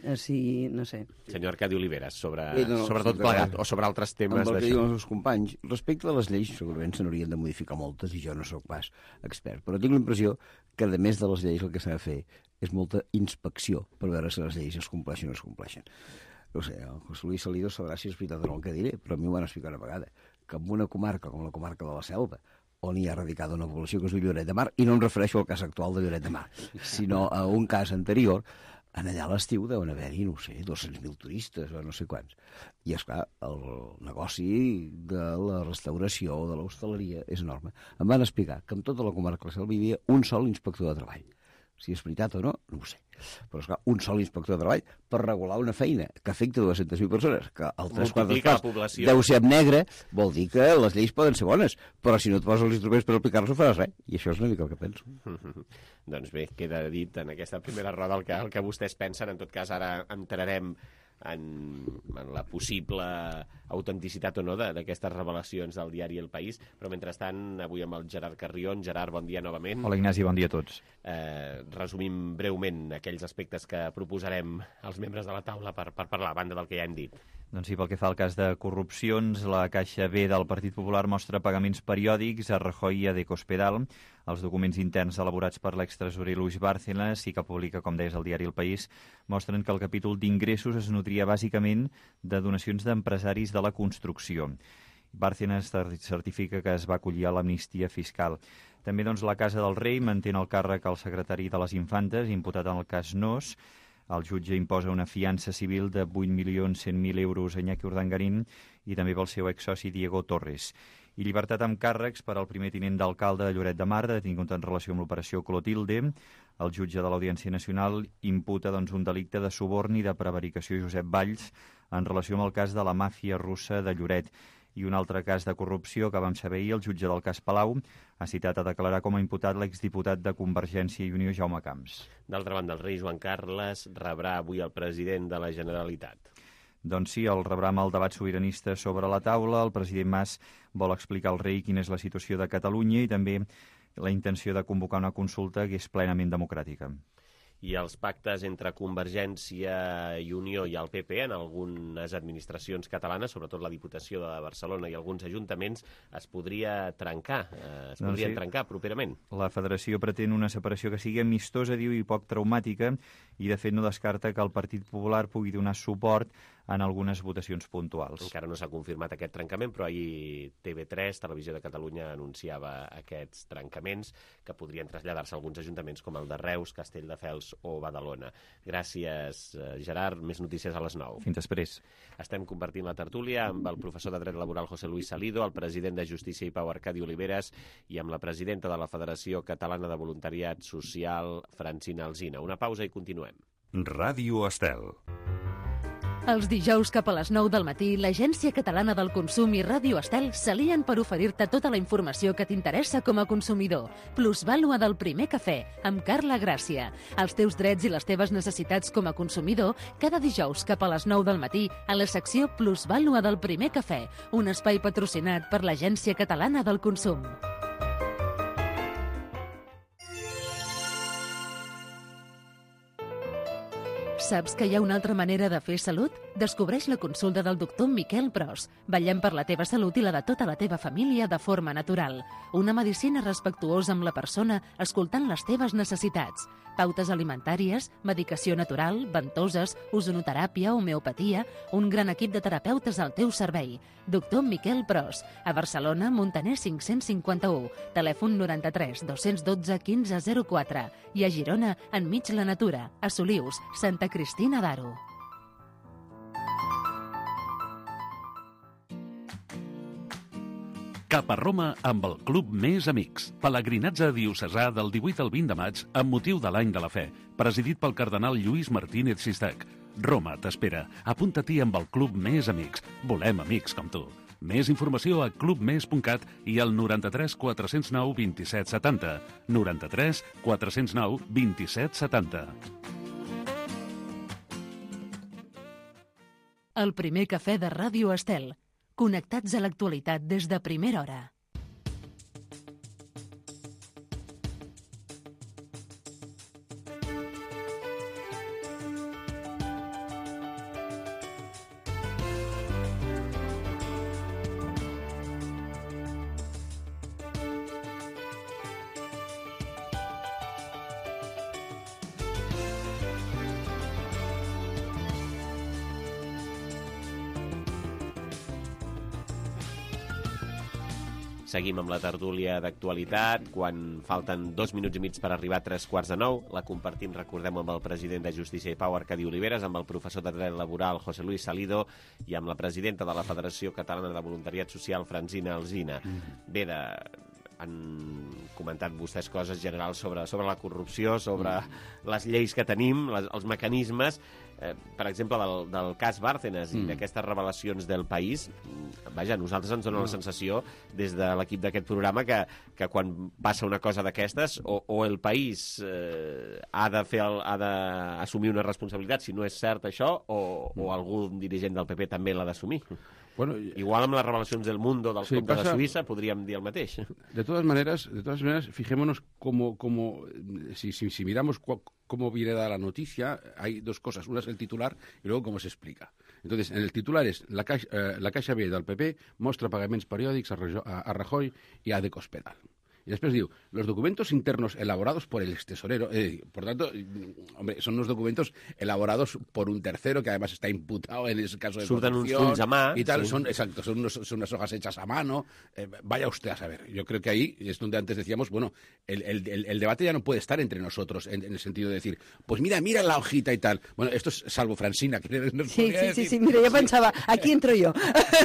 O sigui, no sé. Senyor Arcadi Oliveres, sobre, eh, no, no, sobre tot plegat, o sobre altres temes d'això. Amb el que diuen els meus companys, respecte a les lleis, segurament se n'haurien de modificar moltes, i jo no sóc pas expert, però tinc la impressió que, a més de les lleis, el que s'ha de fer és molta inspecció per veure si les lleis es compleixen o no es compleixen. No sé, el José Luis Salido sabrà si és veritat o no el que diré, però a mi ho van explicar una vegada, que en una comarca com la comarca de la Selva, on hi ha radicada una població que es diu Lloret de Mar, i no em refereixo al cas actual de Lloret de Mar, sinó a un cas anterior, en allà a l'estiu deuen haver-hi, no sé, dos-cents mil turistes o no sé quants. I, esclar, el negoci de la restauració o de l'hostaleria és enorme. Em van explicar que en tota la comarca de la Selva hi havia un sol inspector de treball. Si és veritat o no, no ho sé. Però, esclar, un sol inspector de treball per regular una feina que afecta dues-centes mil persones, que el tres quarts parts deu ser en negre, vol dir que les lleis poden ser bones, però si no et poses els instruments per aplicar-los no faràs res. I això és una mica el que penso. Doncs bé, queda dit en aquesta primera roda el que, el que vostès pensen. En tot cas, ara entrarem en, en la possible autenticitat o no d'aquestes revelacions del diari El País, però mentrestant avui amb el Gerard Carrion. Gerard, bon dia novament. Hola Ignasi, bon dia a tots. Eh, resumim breument aquells aspectes que proposarem als membres de la taula per, per parlar, a banda del que ja hem dit. Doncs sí, pel que fa al cas de corrupcions, la Caixa B del Partit Popular mostra pagaments periòdics a Rajoy i a Decospedal. Els documents interns elaborats per l'extresorer Luis Bárcenas i que publica, com deies, el diari El País, mostren que el capítol d'ingressos es nutria bàsicament de donacions d'empresaris de la construcció. Bárcenas certifica que es va acollir a l'amnistia fiscal. També doncs, la Casa del Rei manté el càrrec al secretari de les Infantes, imputat en el cas Nos. El jutge imposa una fiança civil de vuit milions cent mil euros a Iñaki Urdangarín i també pel seu exsoci Diego Torres. I llibertat amb càrrecs per al primer tinent d'alcalde de Lloret de Mar, detingut en relació amb l'operació Clotilde. El jutge de l'Audiència Nacional imputa doncs, un delicte de suborn i de prevaricació a Josep Valls en relació amb el cas de la màfia russa de Lloret. I un altre cas de corrupció que vam saber ahir, el jutge del cas Palau ha citat a declarar com a imputat l'exdiputat de Convergència i Unió, Jaume Camps. D'altra banda, el rei Joan Carles rebrà avui el president de la Generalitat. Doncs sí, el rebrà amb el debat sobiranista sobre la taula. El president Mas vol explicar al rei quina és la situació de Catalunya i també la intenció de convocar una consulta que és plenament democràtica. I els pactes entre Convergència i Unió i el P P en algunes administracions catalanes, sobretot la Diputació de Barcelona i alguns ajuntaments, es podria trencar, eh, es Doncs podrien sí. trencar properament. La federació pretén una separació que sigui amistosa, diu, i poc traumàtica, i de fet no descarta que el Partit Popular pugui donar suport en algunes votacions puntuals. Encara no s'ha confirmat aquest trencament, però ahir T V tres, Televisió de Catalunya, anunciava aquests trencaments que podrien traslladar-se a alguns ajuntaments com el de Reus, Castelldefels o Badalona. Gràcies, Gerard. Més notícies a les nou. Fins després. Estem compartint la tertúlia amb el professor de Dret Laboral José Luis Salido, el president de Justícia i Pau Arcadi Oliveres i amb la presidenta de la Federació Catalana de Voluntariat Social, Francina Alsina. Una pausa i continuem. Ràdio Estel. Els dijous cap a les nou del matí, l'Agència Catalana del Consum i Ràdio Estel s'alien per oferir-te tota la informació que t'interessa com a consumidor. Plusvàlua del primer cafè, amb Carla Gràcia. Els teus drets i les teves necessitats com a consumidor, cada dijous cap a les nou del matí, a la secció Plusvàlua del primer cafè, un espai patrocinat per l'Agència Catalana del Consum. Saps que hi ha una altra manera de fer salut? Descobreix la consulta del doctor Miquel Pros. Vetllem per la teva salut i la de tota la teva família de forma natural. Una medicina respectuosa amb la persona, escoltant les teves necessitats. Pautes alimentàries, medicació natural, ventoses, ozonoteràpia, homeopatia, un gran equip de terapeutes al teu servei. Doctor Miquel Pros, a Barcelona, Montaner cinc-cents cinquanta-u, telèfon noranta-tres dos-cents dotze quinze zero quatre i a Girona, enmig la natura, a Solius, Santa Cristina d'Aro. Cap a Roma amb el Club Més Amics. Pelegrinatge diocesà del divuit al vint de maig amb motiu de l'Any de la Fe, presidit pel cardenal Lluís Martínez Sistac. Roma t'espera. Apunta-t'hi amb el Club Més Amics. Volem amics com tu. Més informació a club més punt cat i al noranta-tres quatre-cents nou vint-i-set setanta. noranta-tres quatre-cents nou vint-i-set setanta. El primer cafè de Ràdio Estel. Connectats a l'actualitat des de primera hora. Seguim amb la tertúlia d'actualitat. Quan falten dos minuts i mig per arribar a tres quarts de nou, la compartim, recordem, amb el president de Justícia i Pau, Arcadi Oliveres, amb el professor de Dret Laboral, José Luis Salido, i amb la presidenta de la Federació Catalana de Voluntariat Social, Francina Alsina. Bé, de... han comentat vostès coses generals sobre, sobre la corrupció, sobre les lleis que tenim, les, els mecanismes, eh, per exemple, del, del cas Bárcenas mm. i d'aquestes revelacions del País. Vaja, a nosaltres ens dona la sensació, des de l'equip d'aquest programa, que, que quan passa una cosa d'aquestes, o, o el País eh, ha de fer el, ha d'assumir una responsabilitat, si no és cert això, o, o algun dirigent del P P també l'ha d'assumir. Bueno, igual amb les revelacions del Mundo, dels sí, comptes pasa... de Suïssa, podríem dir el mateix. De todas maneras, de todas maneras, fijémonos cómo, cómo si, si, si miramos cu cómo viene dada la noticia, hay dos cosas. Una es el titular y luego cómo se explica. Entonces, en el titular es la Caixa, eh, la Caixa B del P P mostra pagaments periòdics a, a, a Rajoy y a De Cospedal. Y después digo, los documentos internos elaborados por el extesorero, eh, por tanto, hombre, son unos documentos elaborados por un tercero que además está imputado en ese caso de Surten uns fulls a mà, y tal, sí. son, exacto, son, unos, son unas hojas hechas a mano, eh, vaya usted a saber. Yo creo que ahí es donde antes decíamos, bueno, el, el, el, el debate ya no puede estar entre nosotros en, en el sentido de decir, pues mira, mira la hojita y tal. Bueno, esto es salvo Francina, que nos sí, podía sí, decir. Sí, sí, mira, yo pensaba, aquí entro yo.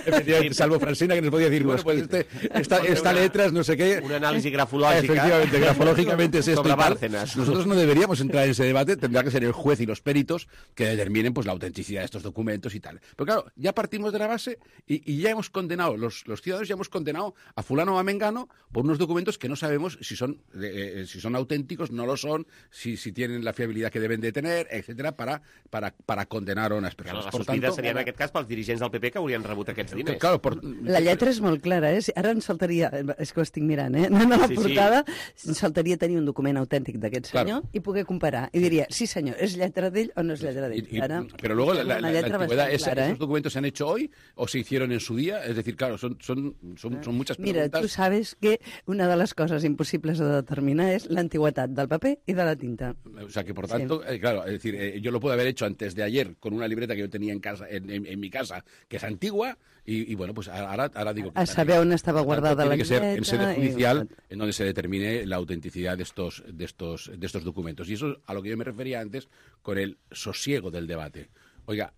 Efectivamente, salvo Francina, que nos podía decir, bueno, pues este, esta, esta letras, no sé qué. Un análisis grafológica. Grafológicamente es esto sobre y tal. Bárcenas. Nosotros no deberíamos entrar en ese debate, tendrá que ser el juez y los peritos que determinen pues la autenticidad de estos documentos y tal. Pero claro, ya partimos de la base y, y ya hemos condenado, los, los ciudadanos ya hemos condenado a fulano o a mengano por unos documentos que no sabemos si son eh, si son auténticos, no lo son, si, si tienen la fiabilidad que deben de tener, etcétera, para, para, para condenar a unes persones. Claro, la sospita seria en aquest cas pels dirigents del P P que haurien rebut aquests diners. Claro, por... La lletra és molt clara, eh? Ara ens faltaria... És que ho estic mirant, eh? No, no, la sí, portada, sí. Saltaria tenir un document autèntic d'aquest senyor claro. i poder comparar. I diria, sí senyor, ¿es lletra d'ell o no es lletra d'ell? Ara, pero luego la, la, la, la antigüedad, esa, clara, ¿eh? ¿Esos documentos se han hecho hoy o se hicieron en su día? Es decir, claro, son, son, son, son muchas preguntas. Mira, tú sabes que una de les coses impossibles de determinar és l'antiguitat del paper i de la tinta. O sea que, por tanto, sí. eh, claro, es decir, eh, yo lo puedo haber hecho antes de ayer con una libreta que yo tenía en casa, en, en, en mi casa, que es antigua, y, y bueno, pues ahora, ahora digo que... A saber on estava guardada la tiene que ser en sede judicial y... en donde se determine la autenticidad de estos, de, estos, de estos documentos. Y eso es a lo que yo me refería antes con el sosiego del debate. Oiga,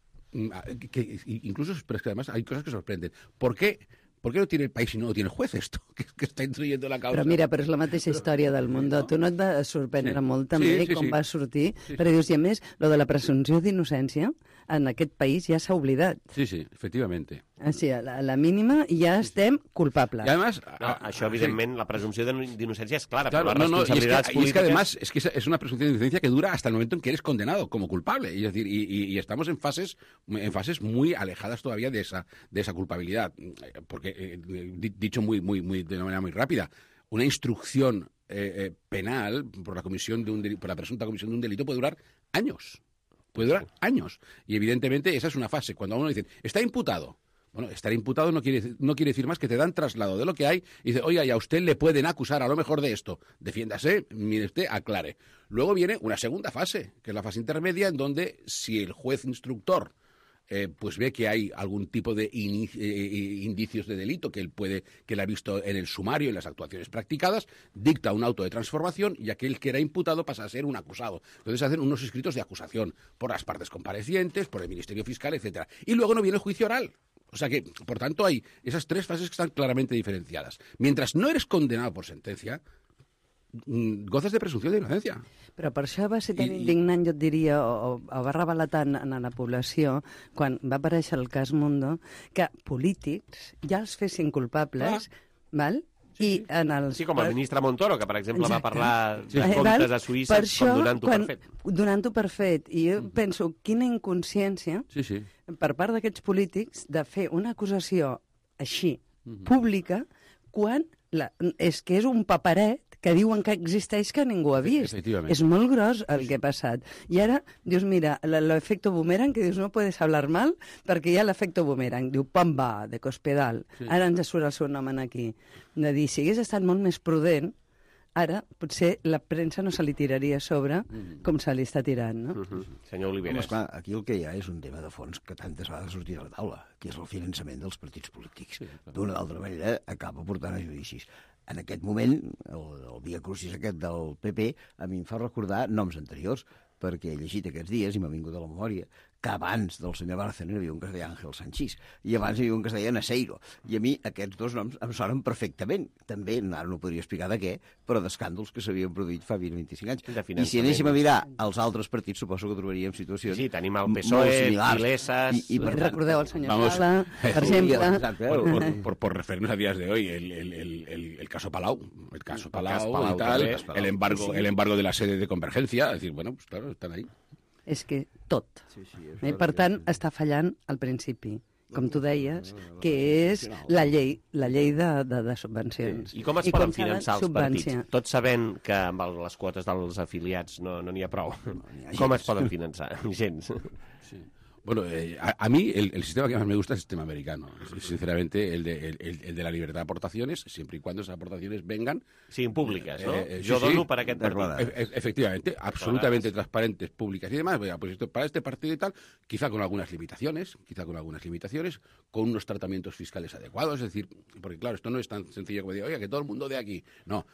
que incluso, pero es que además hay cosas que sorprenden. ¿Por qué? ¿Por qué no tiene el país y no lo tiene el juez esto? Que, que està introduint la causa. Però mira, però és la mateixa història del món. No? Tu no et va sorprendre sí. molt també sí, sí, com sí. va sortir, sí, sí. perquè dius, i a més, lo de la presumpció d'innocència en aquest país ja s'ha oblidat. Sí, sí, efectivamente. Així, a la, a la mínima ja estem culpables. Y además, no, això, evidentment, sí. la presumpció d'innocència es clara, claro, però las no, no, responsabilidades y es que, polítiques... Y es que además es, que es una presunción de inocencia que dura hasta el momento en que eres condenado como culpable. Y, es decir, y, y, y estamos en fases, en fases muy alejadas todavía de esa, de esa culpabilidad. Porque, eh, dicho muy, muy, muy, de una manera muy rápida, una instrucción eh, eh, penal por la, comisión de un delito, por la presunta comisión de un delito puede durar años. Puede durar años. Y evidentemente esa es una fase. Cuando a uno dice, está imputado. Bueno, estar imputado no quiere, no quiere decir más que te dan traslado de lo que hay y dice, oiga, y a usted le pueden acusar a lo mejor de esto. Defiéndase, mire usted, aclare. Luego viene una segunda fase, que es la fase intermedia, en donde si el juez instructor Eh, pues ve que hay algún tipo de in, eh, indicios de delito que él puede, que él ha visto en el sumario, en las actuaciones practicadas, dicta un auto de transformación y aquel que era imputado pasa a ser un acusado. Entonces hacen unos escritos de acusación por las partes comparecientes, por el Ministerio Fiscal, etcétera. Y luego no viene el juicio oral. O sea que, por tanto, hay esas tres fases que están claramente diferenciadas. Mientras no eres condenado por sentencia, gozes de presumpció d'innocència. Però per això va ser tan I, indignant, jo et diria, o, o va revelar tant en la població, quan va aparèixer el cas Mundo, que polítics ja els fessin culpables, ah. val? Sí, I en els... sí, com el ministre Montoro, que, per exemple, Exacte. va parlar sí. de comptes a Suïssa com donant-ho per fet. Donant-ho per fet. I jo mm. penso, quina inconsciència sí, sí. per part d'aquests polítics de fer una acusació així, mm-hmm. pública, quan la, és que és un paperet que diuen que existeix que ningú ha vist. És molt gros el que ha passat. I ara, dius, mira, l'efecte boomerang, que dius, no puedes hablar mal, perquè hi ha l'efecte boomerang. Diu, Pamba, de Cospedal. Sí. Ara ens surt el seu nom aquí. De dir, si hagués estat molt més prudent, ara potser la premsa no se li tiraria a sobre mm. com se li està tirant, no? Mm-hmm. Senyor Oliveres. Home, esclar, aquí el que hi ha és un tema de fons que tantes vegades sortit a la taula, que és el finançament dels partits polítics. Sí, d'una o d'altra manera acaba portant a judicis. En aquest moment, el, el via crucis aquest del P P, a mi em fa recordar noms anteriors, perquè he llegit aquests dies i m'ha vingut a la memòria que abans del senyor Bárcenas hi havia un que es deia Àngel Sanchís, i abans hi havia un que es deia Naseiro. I a mi aquests dos noms em sonen perfectament. També, ara no podria explicar de què, però d'escàndols que s'havien produït fa vint o vint-i-cinc anys. I si anéssim a mirar els altres partits, suposo que trobaríem situacions sí, tenim el P S O E, Pilesas... I, i per tant, recordeu el senyor Vamos, Sala, per exemple... Por, por, por, por referirnos a días de hoy, el, el, el, el, el caso Palau, el caso Palau, el Palau y tal, el, el, embargo, el embargo de la sede de Convergencia, es decir, bueno, pues claro, están ahí. És que tot. Sí, sí, eh? Per tant, està fallant al principi, com tu deies, que és la llei, la llei de, de, de subvencions. Sí. I com es I poden com finançar els partits? Tot sabent que amb les quotes dels afiliats no n'hi no ha prou. No, ha com es poden finançar? Gens. Sí. Bueno, eh, a, a mí el, el sistema que más me gusta es el sistema americano. Sinceramente, el de, el, el de la libertad de aportaciones, siempre y cuando esas aportaciones vengan... Sí, públicas, ¿no? Eh, eh, Yo sí, dono sí, para aquest partit. E, efectivamente, absolutamente transparentes, públicas y demás. Pues esto, para este partido y tal, quizá con algunas limitaciones, quizá con algunas limitaciones, con unos tratamientos fiscales adecuados. Es decir, porque claro, esto no es tan sencillo como decir, oiga, que todo el mundo de aquí. No.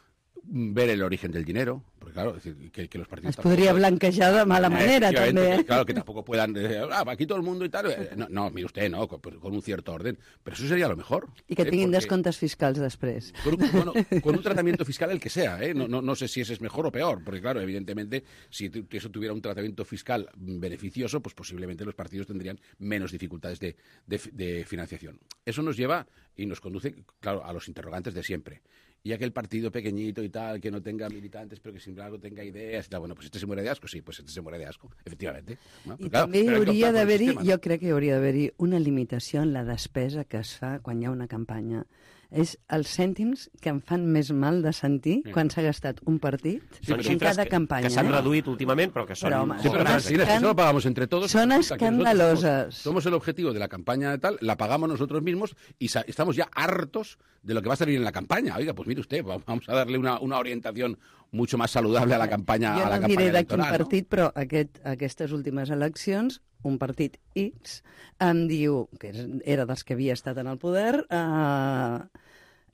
Ver el origen del dinero, porque claro, es decir, que, que los partidos... Es podría blanquejar de mala manera eh, también. Claro, que tampoco puedan... Eh, ah, aquí todo el mundo y tal... Eh, no, no, mire usted, no, con, con un cierto orden. Pero eso sería lo mejor. Y que eh, tinguin descomptes fiscals després. Con un, bueno, con un tratamiento fiscal el que sea, ¿eh? No, no, no sé si ese es mejor o peor, porque claro, evidentemente, si eso tuviera un tratamiento fiscal beneficioso, pues posiblemente los partidos tendrían menos dificultades de, de, de financiación. Eso nos lleva y nos conduce, claro, a los interrogantes de siempre. Y aquel partido pequeñito y tal, que no tenga militantes, pero que sin embargo tenga ideas y tal, bueno, pues este se muere de asco, sí, pues este se muere de asco, efectivamente. No? I claro, també hauria d'haver-hi, jo crec que hauria d'haver-hi una limitació en la despesa que es fa quan hi ha una campanya és els cèntims que em fan més mal de sentir sí. quan s'ha gastat un partit sí, en cada que, campanya. Que s'han eh? reduït últimament, però que són... Però, home, sí, pero las escan... eso lo pagamos entre todos. Son escandalosas. Somos, somos el objetivo de la campaña de tal, la pagamos nosotros mismos y estamos ya hartos de lo que va a salir en la campaña. Oiga, pues mire usted, vamos a darle una, una orientación mucho más saludable a la campaña, jo a la no campaña diré de quin electoral. partit, ¿no? però aquest, aquestes últimes eleccions, un partit X em diu, que era dels que havia estat en el poder, eh,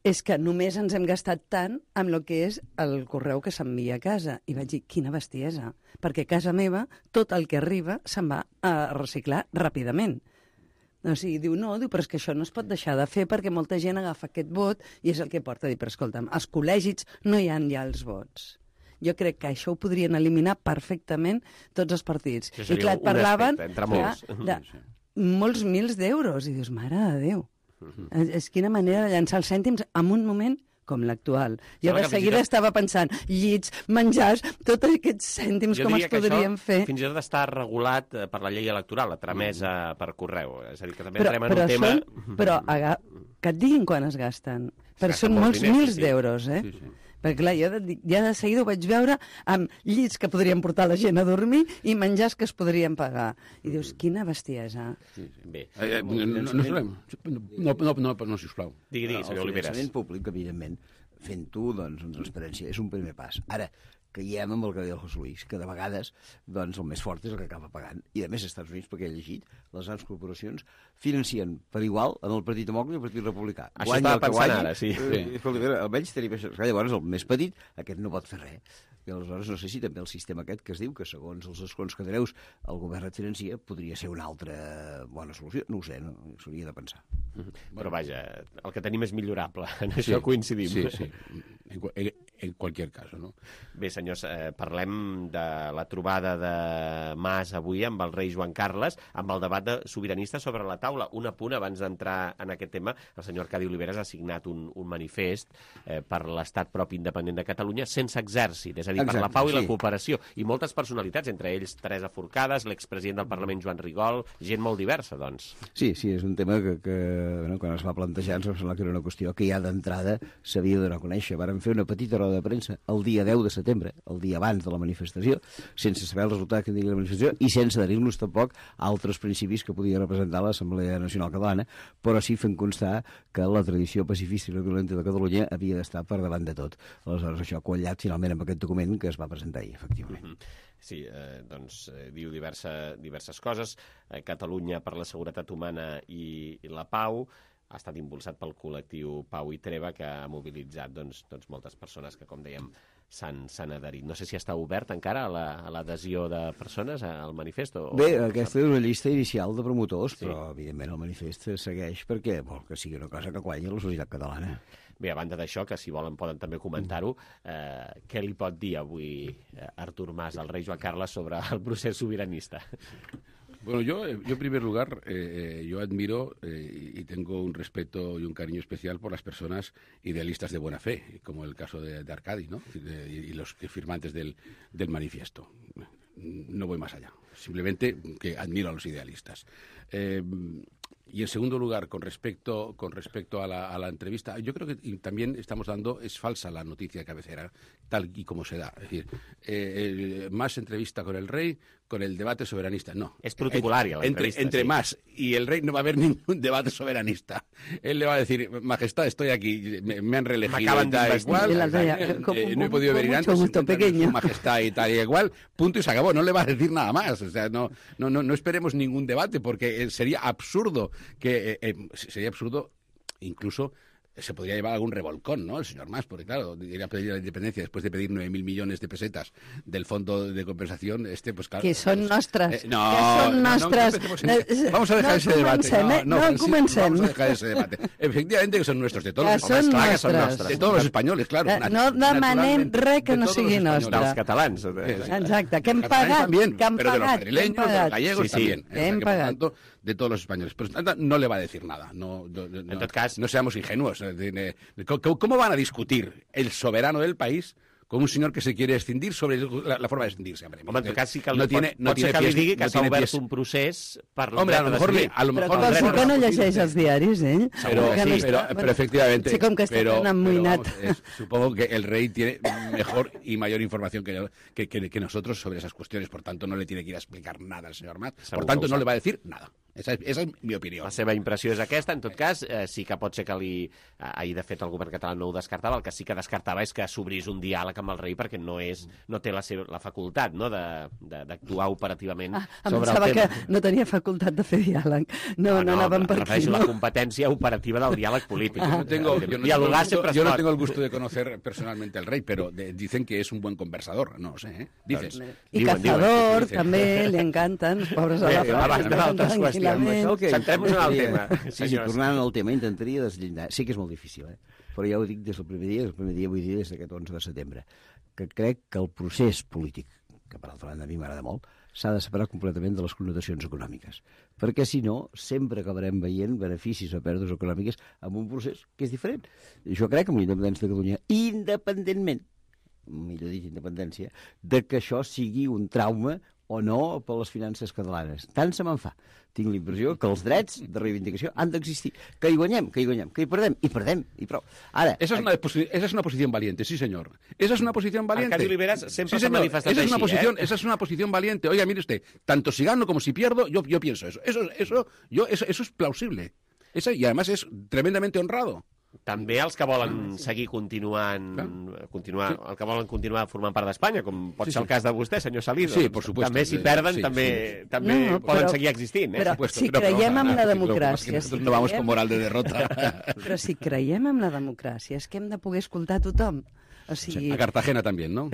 és que només ens hem gastat tant amb el que és el correu que s'envia a casa. I vaig dir, quina bestiesa, perquè a casa meva tot el que arriba se'n va a reciclar ràpidament. O sigui, diu, no, diu, però és que això no es pot deixar de fer perquè molta gent agafa aquest vot i és el que porta. Dic, però escolta'm, als col·legis no hi ha ja els vots. Jo crec que això ho podrien eliminar perfectament tots els partits. I clar, et parlaven molts. de, de molts mils d'euros. I dius, mare de Déu, uh-huh. és quina manera de llançar els cèntims en un moment com l'actual. Jo de seguida tot... estava pensant, llits, menjars, tots aquests cèntims jo com es podrien això, fer. Fins i tot està regulat per la llei electoral, la tramesa mm. per correu. És a dir, que també però, entrem en però un tema... Són, però aga... que et diguin quan es gasten. Però són molts diners, mils sí. d'euros, eh? Sí, sí. Perquè, clar, jo de, ja de seguida ho vaig veure amb llits que podrien portar la gent a dormir i menjars que es podrien pagar. I dius, quina bestiesa. Sí, sí. Bé. Eh, eh, no, no, no, no, no, no, no, sisplau. Digui, digui, senyor Oliveres. El finançament públic, evidentment, fent-ho, doncs, amb transparència, és un primer pas. Ara, caiem amb el que deia el José Luis, que de vegades doncs, el més fort és el que acaba pagant. I a més, als Estats Units, perquè he llegit, les grans corporacions financien per igual en el Partit Demòcrata i el Partit Republicà. Això guanya estava pensant guanyi, ara, sí. Eh, sí. Almenys tenim això. Llavors, el més petit, aquest no pot fer res. I aleshores no sé si també el sistema aquest que es diu que segons els escons que treus el govern et financia podria ser una altra bona solució. No ho sé, no? S'hauria de pensar. Mm-hmm. Però vaja, el que tenim és millorable. En sí, això coincidim. Sí, sí. En, en, en qualsevol cas, no? Bé, senyors, eh, parlem de la trobada de Mas avui amb el rei Joan Carles, amb el debat de sobiranista sobre la taula. Un apunt abans d'entrar en aquest tema, el senyor Arcadi Oliveres ha signat un, un manifest eh, per l'estat propi independent de Catalunya sense exèrcit, és a dir, Exacte, per la pau sí. i la cooperació. I moltes personalitats, entre ells Teresa Forcades, l'expresident del Parlament Joan Rigol, gent molt diversa, doncs. Sí, sí, és un tema que, que bueno, quan es va plantejar ens va semblar que era una qüestió que ja d'entrada s'havia de donar a conèixer. Vàrem fer una petita roda de premsa el dia deu de setembre, el dia abans de la manifestació, sense saber el resultat que tenia la manifestació i sense adherir-nos tampoc a altres principis que podia representar l'Assemblea Nacional Catalana, però sí fent constar que la tradició pacifista i no violenta de Catalunya havia d'estar per davant de tot. Aleshores, això ha quallat finalment amb aquest document que es va presentar ahir, efectivament. Mm-hmm. Sí, eh, doncs eh, diu diversa, diverses coses. Eh, Catalunya per la seguretat humana i, i la pau ha estat impulsat pel col·lectiu Pau i Treva, que ha mobilitzat doncs, doncs, moltes persones que, com dèiem, s'han adherit. No sé si està obert encara a l'adhesió la, de persones al manifest. O, Bé, o... aquesta és una llista inicial de promotors, sí. però, evidentment, el manifest segueix perquè vol que sigui una cosa que guanyi la societat catalana. Bé, a banda d'això, que si volen poden també comentar-ho, eh, què li pot dir avui eh, Artur Mas al rei Joan Carles sobre el procés sobiranista? Bueno, yo, yo en primer lugar, eh, yo admiro eh, y tengo un respeto y un cariño especial por las personas idealistas de buena fe, como el caso de, de Arcadi, ¿no? De, y los firmantes del, del manifiesto. No voy más allá, simplemente que admiro a los idealistas. Eh, y en segundo lugar, con respecto, con respecto a, la, a la entrevista, yo creo que también estamos dando, es falsa la noticia de cabecera, tal y como se da. Es decir, eh, más entrevista con el rey, con el debate soberanista. No. Es protocolaria la entre, entre sí. Mas y el rey no va a haber ningún debate soberanista. Él le va a decir, majestad, estoy aquí, me, me han reelegido me acaban de igual, y la eh, eh, no he podido venir antes, pequeño. majestad y tal y igual, punto y se acabó. No le va a decir nada más. O sea, no, no, no, no esperemos ningún debate porque sería absurdo que eh, eh, sería absurdo incluso se podría llevar algún revolcón, ¿no? El señor Mas, porque claro, ir a pedir la independencia después de pedir nueve mil millones de pesetas del fondo de compensación, este, pues claro... Que son nostres. Eh, no, que son no, nostres. No, no, vamos a dejar no ese debate. No, no, no comencem. Vamos a dejar ese debate. Efectivamente que son nuestros, de todos que los españoles. Claro, que son nostres. De todos los españoles, claro. Eh, no demanem res que no sigui nostre. Dels catalans. Exacte, que hem pagat. También, que hem pero pagat, de los madrileños, de los gallegos sí, sí, también. Que hem que, pagat. Por tanto, de todos los españoles. Pero no le va a decir nada. No, no, no, en tot cas... no seamos ingenuos. ¿Cómo van a discutir el soberano del país con un señor que se quiere escindir sobre la, la forma de escindirse. Hombre, Home, en tot cas, sí que no pot, tiene, no pot tiene ser que pies, li digui que no s'ha tiene obert pies. un procés per Hombre, a lo mejor, li, a lo mejor però sí que no llegeix els diaris, ell. Pero, Que sí, no pero, està- pero efectivamente. Sí, com que està pero, tan amoïnat. pero vamos, es- supongo que el rey tiene mejor y mayor información que, que, que, que nosotros sobre esas cuestiones. Por tanto, no le tiene que ir a explicar nada al señor Mas. Segur Por tanto, que ho no sap. le va a decir nada. Esa es, esa es mi opinió. La seva impressió és aquesta. En tot cas, eh, sí que pot ser que li... eh, Ahir, de fet, el govern català no ho descartava. El que sí que descartava és que s'obrís un diàleg amb el rei perquè no és no té la, seva, la facultat no, de- de- d'actuar operativament Ah, em sobre pensava el que tema. no tenia facultat de fer diàleg. No, no, no anàvem per aquí. refereixo a No? la competència operativa del diàleg polític. Yo no tengo, yo no Dialogar tengo el gusto, sempre es yo no pot. tengo el gusto de conocer personalmente al rey, pero de- dicen que es un buen conversador. No lo sé, ¿eh? Dices. I Diuen, Cazador, diuen, també, li encanten, els pobres de la Bé, abans d'altres tranquil·lament. qüestions. Centrem-nos en el tema, Sí, sí, senyors. tornant al tema, intentaria deslligar. Sí que és molt difícil, eh? Però ja ho dic des del primer dia, des del primer dia vull dir des d'aquest onze de setembre, que crec que el procés polític, que per altra banda a mi m'agrada molt, s'ha de separar completament de les connotacions econòmiques. Perquè si no, sempre acabarem veient beneficis o pèrdues econòmiques amb un procés que és diferent. Jo crec que amb la independència de Catalunya, independentment, millor dit, independència, de que això sigui un trauma o no per les finances catalanes. Tant se me'n fa. Tinc la impressió que els drets de reivindicació han d'existir. Que hi guanyem, que hi guanyem, que hi perdem, i perdem, i prou. Ara, Esa es, una, posi- esa es una posición valiente, sí, señor. Esa es una posición valiente. Arcadio Oliveras siempre sí, se ha señor. manifestado Esa es una así, posición, ¿eh? esa es una posición valiente. Oiga, mire usted, tanto si gano como si pierdo, yo, yo pienso eso. Eso, eso, yo, eso, eso es plausible. Esa, y además es tremendamente honrado. També els que volen seguir continuant, continuar, el que volen continuar formant part d'Espanya, com pot Sí, ser sí. el cas de vostè, senyor Salido. Sí, doncs por supuesto. També si Sí, perden, sí, també, sí. també No, no, poden però- seguir existint. Eh? però Supuesto. si No, però- creiem en la Lo que pasa es que democràcia... nosotros si no vamos creiem- con moral de derrota. Però si creiem en la democràcia és que hem de poder escoltar tothom. O sigui, A Cartagena también, ¿no?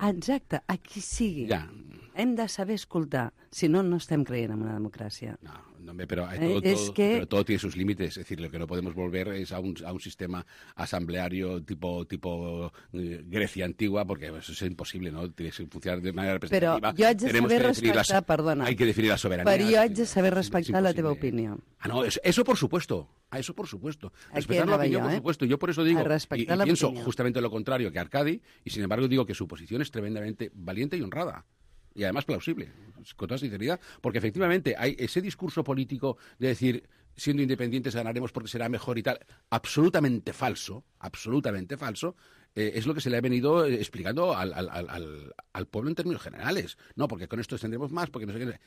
exacte, a qui sigui. Ya. Hem de saber escoltar. Si no, no estem creient en una democràcia. No, hombre, pero, hay Eh, todo, es todo- que- pero todo tiene sus límites. Es decir, lo que no podemos volver es a un, a un sistema asambleario tipo tipo eh, Grecia antigua, porque eso es imposible, ¿no? Tiene que funcionar de manera Però representativa. jo haig de Tenemos saber que definir la so- respectar, perdona. Hay que definir la soberanía. Però jo haig de saber Es respectar la teva imposible. opinió. Ah, no, eso, eso por supuesto. Ah, eso por supuesto. Aquí Respetar la anava opinión, jo, por eh? supuesto. Yo por eso digo, A y, respectar y la pienso opinión. justamente lo contrario que Arcadi, y sin embargo digo que su posición es tremendamente valiente y honrada. Y además plausible, con toda sinceridad, porque efectivamente hay ese discurso político de decir, siendo independientes ganaremos porque será mejor y tal, absolutamente falso, absolutamente falso, eh, es lo que se le ha venido eh, explicando al, al, al, al- al pueblo en términos generales. No, porque con esto tendremos más, porque no sé qué.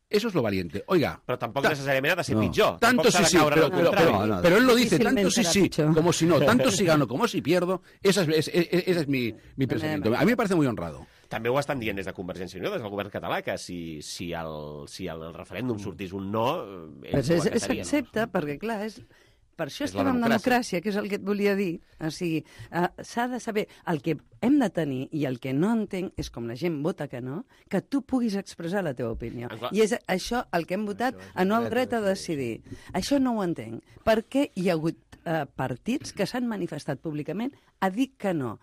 Eso es lo valiente. Oiga. Però tampoc ta- necessàriament ha de ser no. pitjor. Tanto Tampoc s'ha sí, de sí, caure en pero, el pero, contrari. pero- No, no. pero él lo dice, Difícilmente tanto sí, será sí, pitjor. como si no, tanto si gano como si pierdo, esa es, es- es- ese es mi, mi pensamiento. A mí me parece muy honrado. També ho estan dient des de Convergència i Unió, des del govern català, que si, si, el, si el referèndum sortís un no, eh, ells Però ho és- acatarien. s'accepta, perquè clar, és... per això És la estem en democràcia. democràcia, que és el que et volia dir. O sigui, uh, s'ha de saber el que hem de tenir i el que no entenc és com la gent vota que no, que tu puguis expressar la teva opinió. Ah, clar. I és això el que hem votat, a no el dret a decidir. Això no ho entenc. Per què hi ha hagut uh, partits que s'han manifestat públicament a dir que no?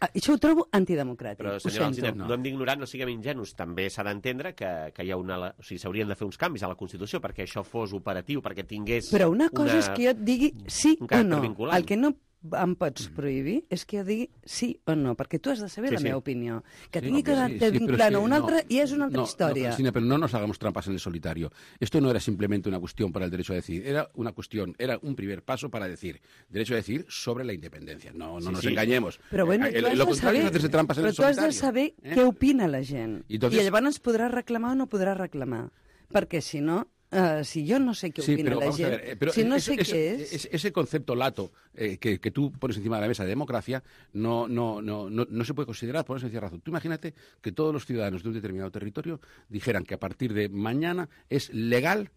Uh, això ho trobo antidemocràtic. Però, ho senyor sento. Alsina, no hem d'ignorar, no siguem ingenus. També s'ha d'entendre que, que hi ha una... O sigui, s'haurien de fer uns canvis a la Constitució perquè això fos operatiu, perquè tingués... Però una cosa una... és que jo et digui sí un o caràcter no. vinculant. El que no em pots prohibir és que jo digui sí o no, perquè tu has de saber Sí, la sí. meva opinió. Que Sí, tingui hombre, caràcter sí, sí, pero vinculant es a que una no, altra i és una altra no, història. No, Cristina, pero no nos hagamos trampas en el solitario. Esto no era simplemente una cuestión para el derecho a decidir, era una cuestión, era un primer paso para decir, derecho a decidir sobre la independencia. No, no Sí, nos sí. engañemos. Però bueno, Eh, tu lo has lo de contrario saber, es hacerse trampas en però el tu has solitario. de saber ¿eh? què opina la gent. I entonces- I llavors podràs reclamar o no podràs reclamar. Perquè si no, uh, si jo no sé què Sí, opina pero la vamos a gent, ver, eh, pero si no ese, sé ese- què és... ese- ese concepto lato eh, que, que tú pones encima de la mesa de democracia no, no, no, no, no se puede considerar por una sencilla razón. Tú imagínate que todos los ciudadanos de un determinado territorio dijeran que a partir de mañana es legal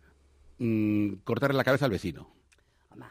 mm, cortarle la cabeza al vecino.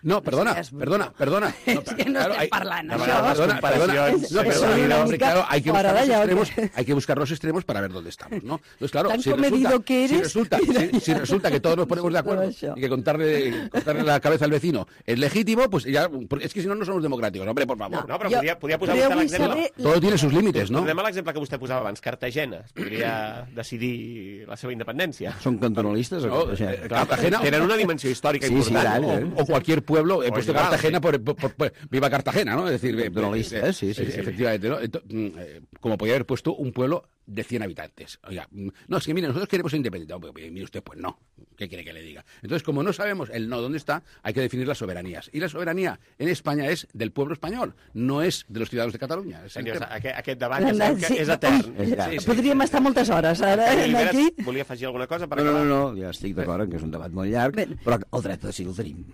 No, perdona, seas bruto. perdona, perdona. És que no estem parlant, no, això. Perdona, perdona. comparacions, No, pero, això claro, és una hombre, mica claro, hay que fora buscar los de lloc. extremos, hay que buscar los extremos para ver dónde estamos, ¿no? Entonces, claro, Tan si comedido resulta, que si eres, resulta, mira. si, si resulta que todos nos ponemos de acuerdo Això. y que contarle, cortarle la cabeza al vecino es legítimo, pues ya, es que si no, no somos democráticos, hombre, por favor. No, però Jo- podia, podia posar però jo vostè vull l'exemple. saber- Todo tiene sus límites, ¿no? Tornem a l'exemple que vostè posava abans, Cartagena. Es podria decidir la seva independència. Són cantonalistes? No, o sigui, eh, Cartagena Tenen una dimensió històrica Sí, sí, important. tant, eh? o cualquier cualquier pueblo, he puesto Cartagena por, por, por, por viva Cartagena, ¿no? Es decir, eh, sí, sí, sí, efectivamente, ¿no? Entonces, como podía haber puesto un pueblo de cien habitantes. Oiga, no, es que mire, nosotros queremos ser independientes. No, mire usted, pues no. ¿Qué quiere que le diga? Entonces, como no sabemos el no dónde está, hay que definir las soberanías. Y la soberanía en España es del pueblo español, no és de los ciudadanos de Catalunya. Senyors, aquest, aquest debat ja sabem que sí, és etern. Ui, sí, sí. Podríem estar moltes hores ara aquí. Volia afegir alguna cosa per no, acabar? No, no, no, ja estic d'acord que és un debat molt llarg, ben. Però el dret a decidir el tenim.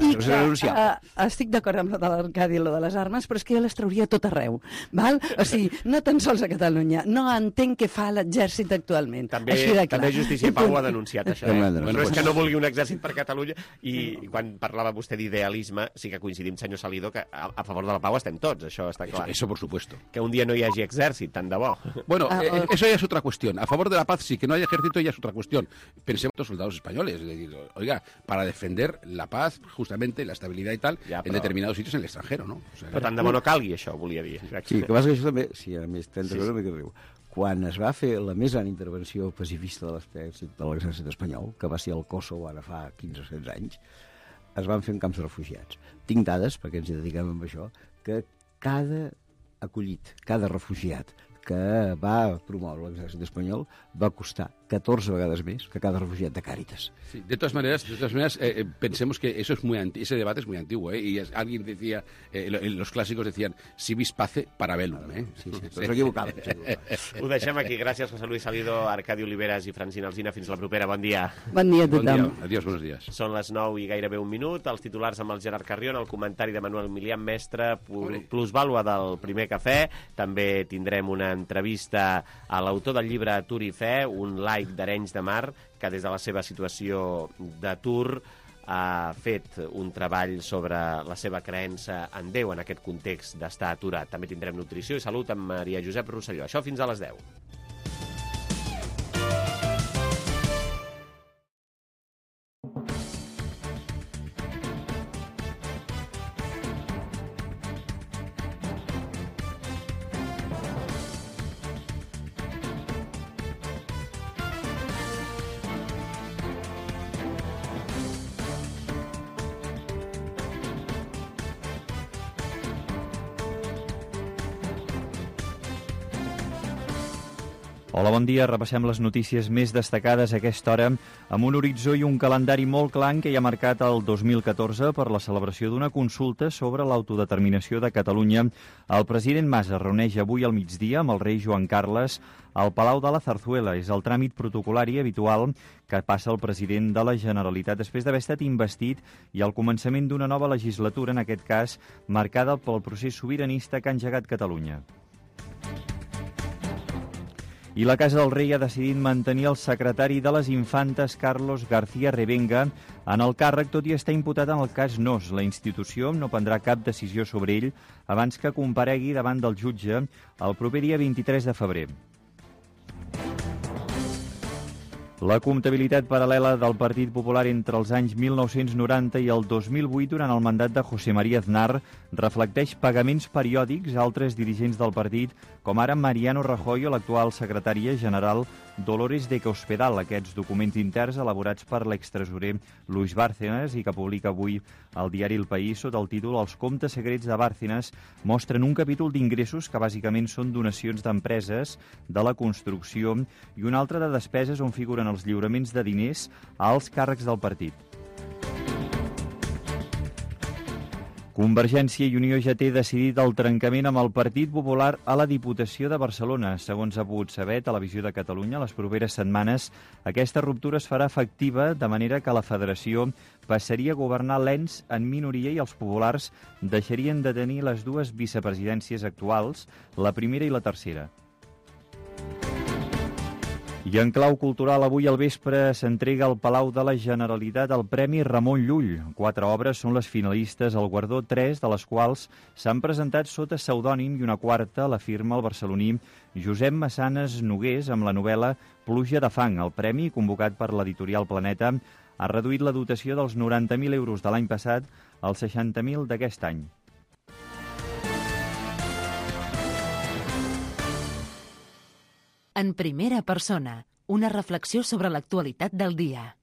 I que, uh, estic d'acord amb lo de l'Arcadi i lo de les armes, però és que jo les trauria tot arreu. Val? O sigui, no tan sols a Catalunya. No entenc què fa l'exèrcit actualment. També, també Justícia i Pau ha denunciat això. Eh? No és que no vulgui un exèrcit per Catalunya, i quan parlava vostè d'idealisme, sí que coincidim, senyor Salido, que a, a favor de la pau estem tots, això està clar. Eso, eso por supuesto. Que un dia no hi hagi exèrcit, tant de bo. Bueno, eh, eso ya es otra cuestión. A favor de la paz sí, que no haya ejército ya es otra cuestión. Pensemos en los soldados españoles, es decir, oiga, para defender la paz, justamente, la estabilidad y tal, ja, però... en determinados sitios en el extranjero, ¿no? O sea, però tant de bo no calgui, això, volia dir. Sí, que passa que això també, sí, a més, trenta sí, sí. Que riu. Quan es va fer la més gran intervenció pacifista de l'exèrcit espanyol, que va ser el Kosovo ara fa quinze o setze anys, es van fer en camps de refugiats. Tinc dades, perquè ens hi dediquem amb això, que cada acollit, cada refugiat que va promoure l'exèrcit espanyol va costar catorze vegades més que cada refugiat de Càritas. Sí, de todas maneras, de todas maneras eh, pensemos que eso es muy anti ese debate es muy antiguo, ¿eh? Y es, alguien decía, eh, los clásicos decían, si vis pace, para bellum, ¿eh? Sí, sí, però s'equivocava. Ho deixem aquí. Gràcies, José Luis Salido, Arcadi Oliveras i Francina Alsina. Fins la propera. Bon dia. Bon dia a tothom. Bon dia. Adiós, buenos días. Són les nou i gairebé un minut. Els titulars amb el Gerard Carrion, el comentari de Manuel Milián Mestre, plusvàlua del primer cafè. També tindrem una entrevista a l'autor del llibre Atur i Fe, un laic d'Arenys de Mar, que des de la seva situació d'atur ha fet un treball sobre la seva creença en Déu en aquest context d'estar aturat. També tindrem nutrició i salut amb Maria Josep Rosselló. Això fins a les deu. Hola, bon dia. Repassem les notícies més destacades a aquesta hora amb un horitzó i un calendari molt clar que hi ha marcat el dos mil catorze per la celebració d'una consulta sobre l'autodeterminació de Catalunya. El president Mas es reuneix avui al migdia amb el rei Joan Carles al Palau de la Zarzuela. És el tràmit protocolari habitual que passa el president de la Generalitat després d'haver estat investit i al començament d'una nova legislatura, en aquest cas marcada pel procés sobiranista que ha engegat Catalunya. I la Casa del Rei ha decidit mantenir el secretari de les Infantes, Carlos García Revenga, en el càrrec, tot i estar imputat en el cas Nos. La institució no prendrà cap decisió sobre ell abans que comparegui davant del jutge el proper dia vint-i-tres de febrer. La comptabilitat paral·lela del Partit Popular entre els anys mil nou-cents noranta i el dos mil vuit, durant el mandat de José María Aznar, reflecteix pagaments periòdics a altres dirigents del partit, com ara Mariano Rajoy o l'actual secretària general Dolores de Cospedal. Aquests documents interns elaborats per l'extresorer Luis Bárcenas i que publica avui el diari El País sota el títol Els comptes secrets de Bárcenas mostren un capítol d'ingressos que bàsicament són donacions d'empreses de la construcció i un altre de despeses on figuren els lliuraments de diners a alts càrrecs del partit. Convergència i Unió ja té decidit el trencament amb el Partit Popular a la Diputació de Barcelona. Segons ha pogut saber Televisió de Catalunya, les properes setmanes aquesta ruptura es farà efectiva, de manera que la federació passaria a governar l'ens en minoria i els populars deixarien de tenir les dues vicepresidències actuals, la primera i la tercera. I en clau cultural, avui al vespre s'entrega al Palau de la Generalitat el Premi Ramon Llull. Quatre obres són les finalistes al guardó, tres de les quals s'han presentat sota pseudònim i una quarta la firma el barceloní Josep Massanes Nogués amb la novel·la Pluja de fang. El premi, convocat per l'editorial Planeta, ha reduït la dotació dels noranta mil euros de l'any passat als seixanta mil d'aquest any. En primera persona, una reflexió sobre l'actualitat del dia.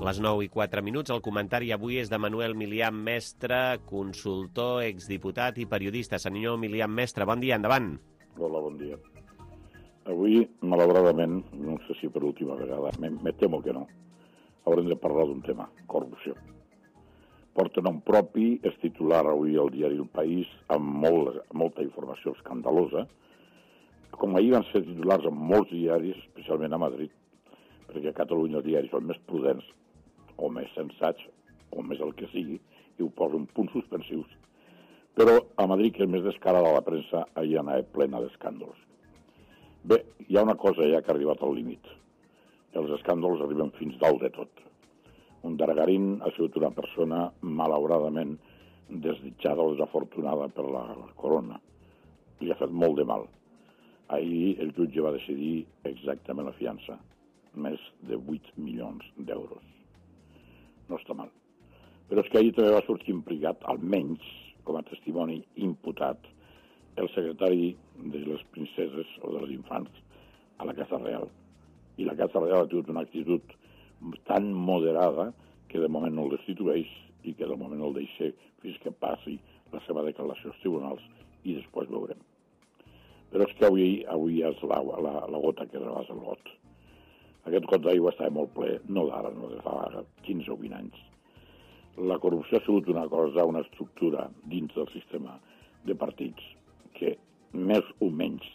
Les nou i quatre minuts, el comentari avui és de Manuel Milián Mestre, consultor, exdiputat i periodista. Senyor Milián Mestre, bon dia, endavant. Hola, bon dia. Avui, malauradament, no sé si per última vegada, me, me temo que no, haurem de parlar d'un tema, corrupció. Porta nom propi, és titular avui al diari El País, amb molt, molta informació escandalosa, com ahir van ser titulars en molts diaris, especialment a Madrid, perquè a Catalunya els diaris són més prudents, o més sensats, o més el que sigui, i ho posen punts suspensius. Però a Madrid, que és més descarada la premsa, allà anava plena d'escàndols. Bé, hi ha una cosa ja que ha arribat al límit. Els escàndols arriben fins dalt de tot. Un Dargarín ha sigut una persona malauradament desitjada o desafortunada per la corona. Li ha fet molt de mal. Ahir el jutge va decidir exactament la fiança. Més de vuit milions d'euros. No està mal. Però és que ahir també va sortir implicat, almenys com a testimoni imputat, el secretari de les princeses o dels infants a la Casa Real. I la Casa Real ha tingut una actitud tan moderada que de moment no el destitueix i que de moment el deixa fins que passi la seva declaració als tribunals i després veurem. Però és que avui, avui és la, la, la gota que rebasa el got. Aquest got d'aigua estava molt ple, no d'ara, no de fa quinze o vint anys. La corrupció ha sigut una cosa, una estructura dins del sistema de partits que més o menys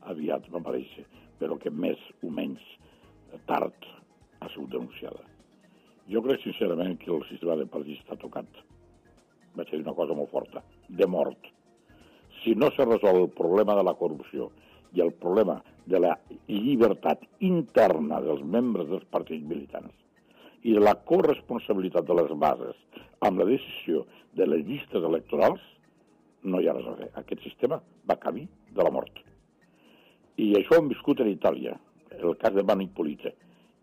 aviat va aparèixer, però que més o menys tard ha sigut denunciada. Jo crec sincerament que el sistema de partits està tocat. Vaig dir una cosa molt forta, de mort. Si no se resol el problema de la corrupció i el problema de la llibertat interna dels membres dels partits militants i de la corresponsabilitat de les bases amb la decisió de les llistes electorals, no hi ha res a fer. Aquest sistema va camí de la mort. I això ho hem viscut en Itàlia, el cas de Mani Pulitzer,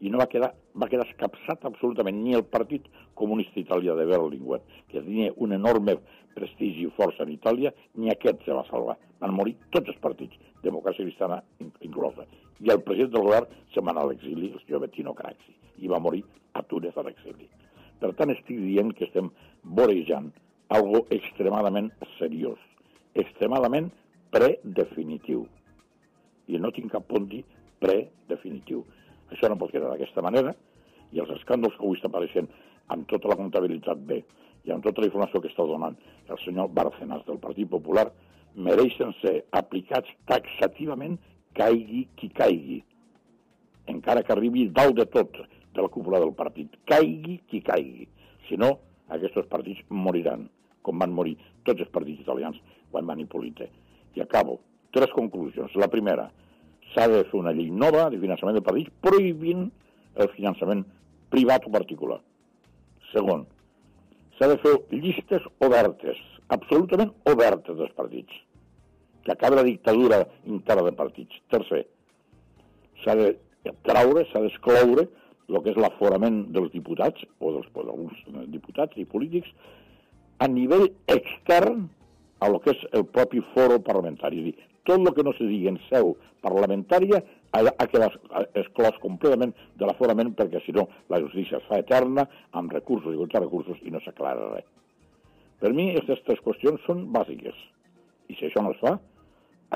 i no va quedar, va quedar escapçat absolutament ni el Partit Comunista Italià de Berlinguer, que tenia un enorme prestigi i força en Itàlia, ni aquest se va salvar. Van morir tots els partits, democràcia cristiana inclosa. I el president del govern se'n va anar a l'exili, el senyor Bettino Craxi, i va morir a Túnez a l'exili. Per tant, estic dient que estem vorejant algo extremadament seriós, extremadament predefinitiu. I no tinc cap punt dir predefinitiu. Això no pot quedar d'aquesta manera, i els escàndols que avui estan apareixent amb tota la comptabilitat bé i amb tota la informació que està donant el senyor Bárcenas del Partit Popular mereixen ser aplicats taxativament caigui qui caigui, encara que arribi dalt de tot de la cúpula del partit. Caigui qui caigui. Si no, aquests partits moriran, com van morir tots els partits italians quan van Hipólite. I acabo. Tres conclusions. La primera, s'ha de fer una llei nova de finançament de partits prohibint el finançament privat o particular. Segon, s'ha de fer llistes obertes, absolutament obertes dels partits, que acabi la dictadura interna de partits. Tercer, s'ha de traure, s'ha d'excloure el que és l'aforament dels diputats, o dels alguns diputats i polítics, a nivell extern a lo que és el propi foro parlamentari. És a dir, tot el que no se digui en seu parlamentària ha quedat exclòs completament de l'aforament, perquè si no la justícia es fa eterna, amb recursos i contra recursos, i no s'aclara res. Per mi, aquestes tres qüestions són bàsiques. I si això no es fa,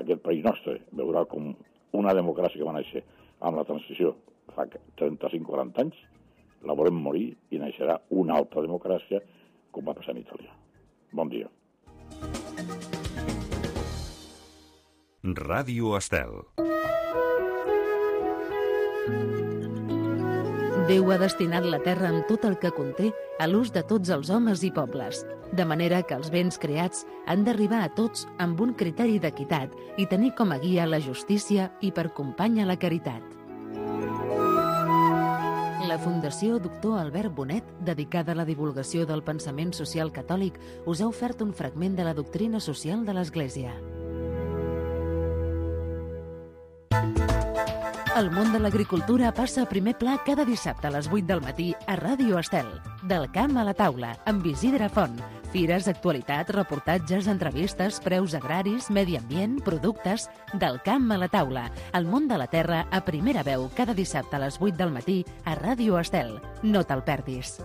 aquest país nostre veurà com una democràcia que va néixer amb la transició fa trenta-cinc o quaranta anys, la volem morir i naixerà una altra democràcia com va passar en Itàlia. Bon dia. Ràdio Estel. Déu ha destinat la terra amb tot el que conté a l'ús de tots els homes i pobles, de manera que els béns creats han d'arribar a tots amb un criteri d'equitat i tenir com a guia la justícia i per companya la caritat. La Fundació Doctor Albert Bonet, dedicada a la divulgació del pensament social catòlic, us ha ofert un fragment de la doctrina social de l'Església. El món de l'agricultura passa a primer pla cada dissabte a les vuit del matí a Ràdio Estel. Del camp a la taula, amb Isidre Font, Fires, actualitat, reportatges, entrevistes, preus agraris, medi ambient, productes... Del camp a la taula. El món de la terra a primera veu cada dissabte a les vuit del matí a Ràdio Estel. No te'l perdis.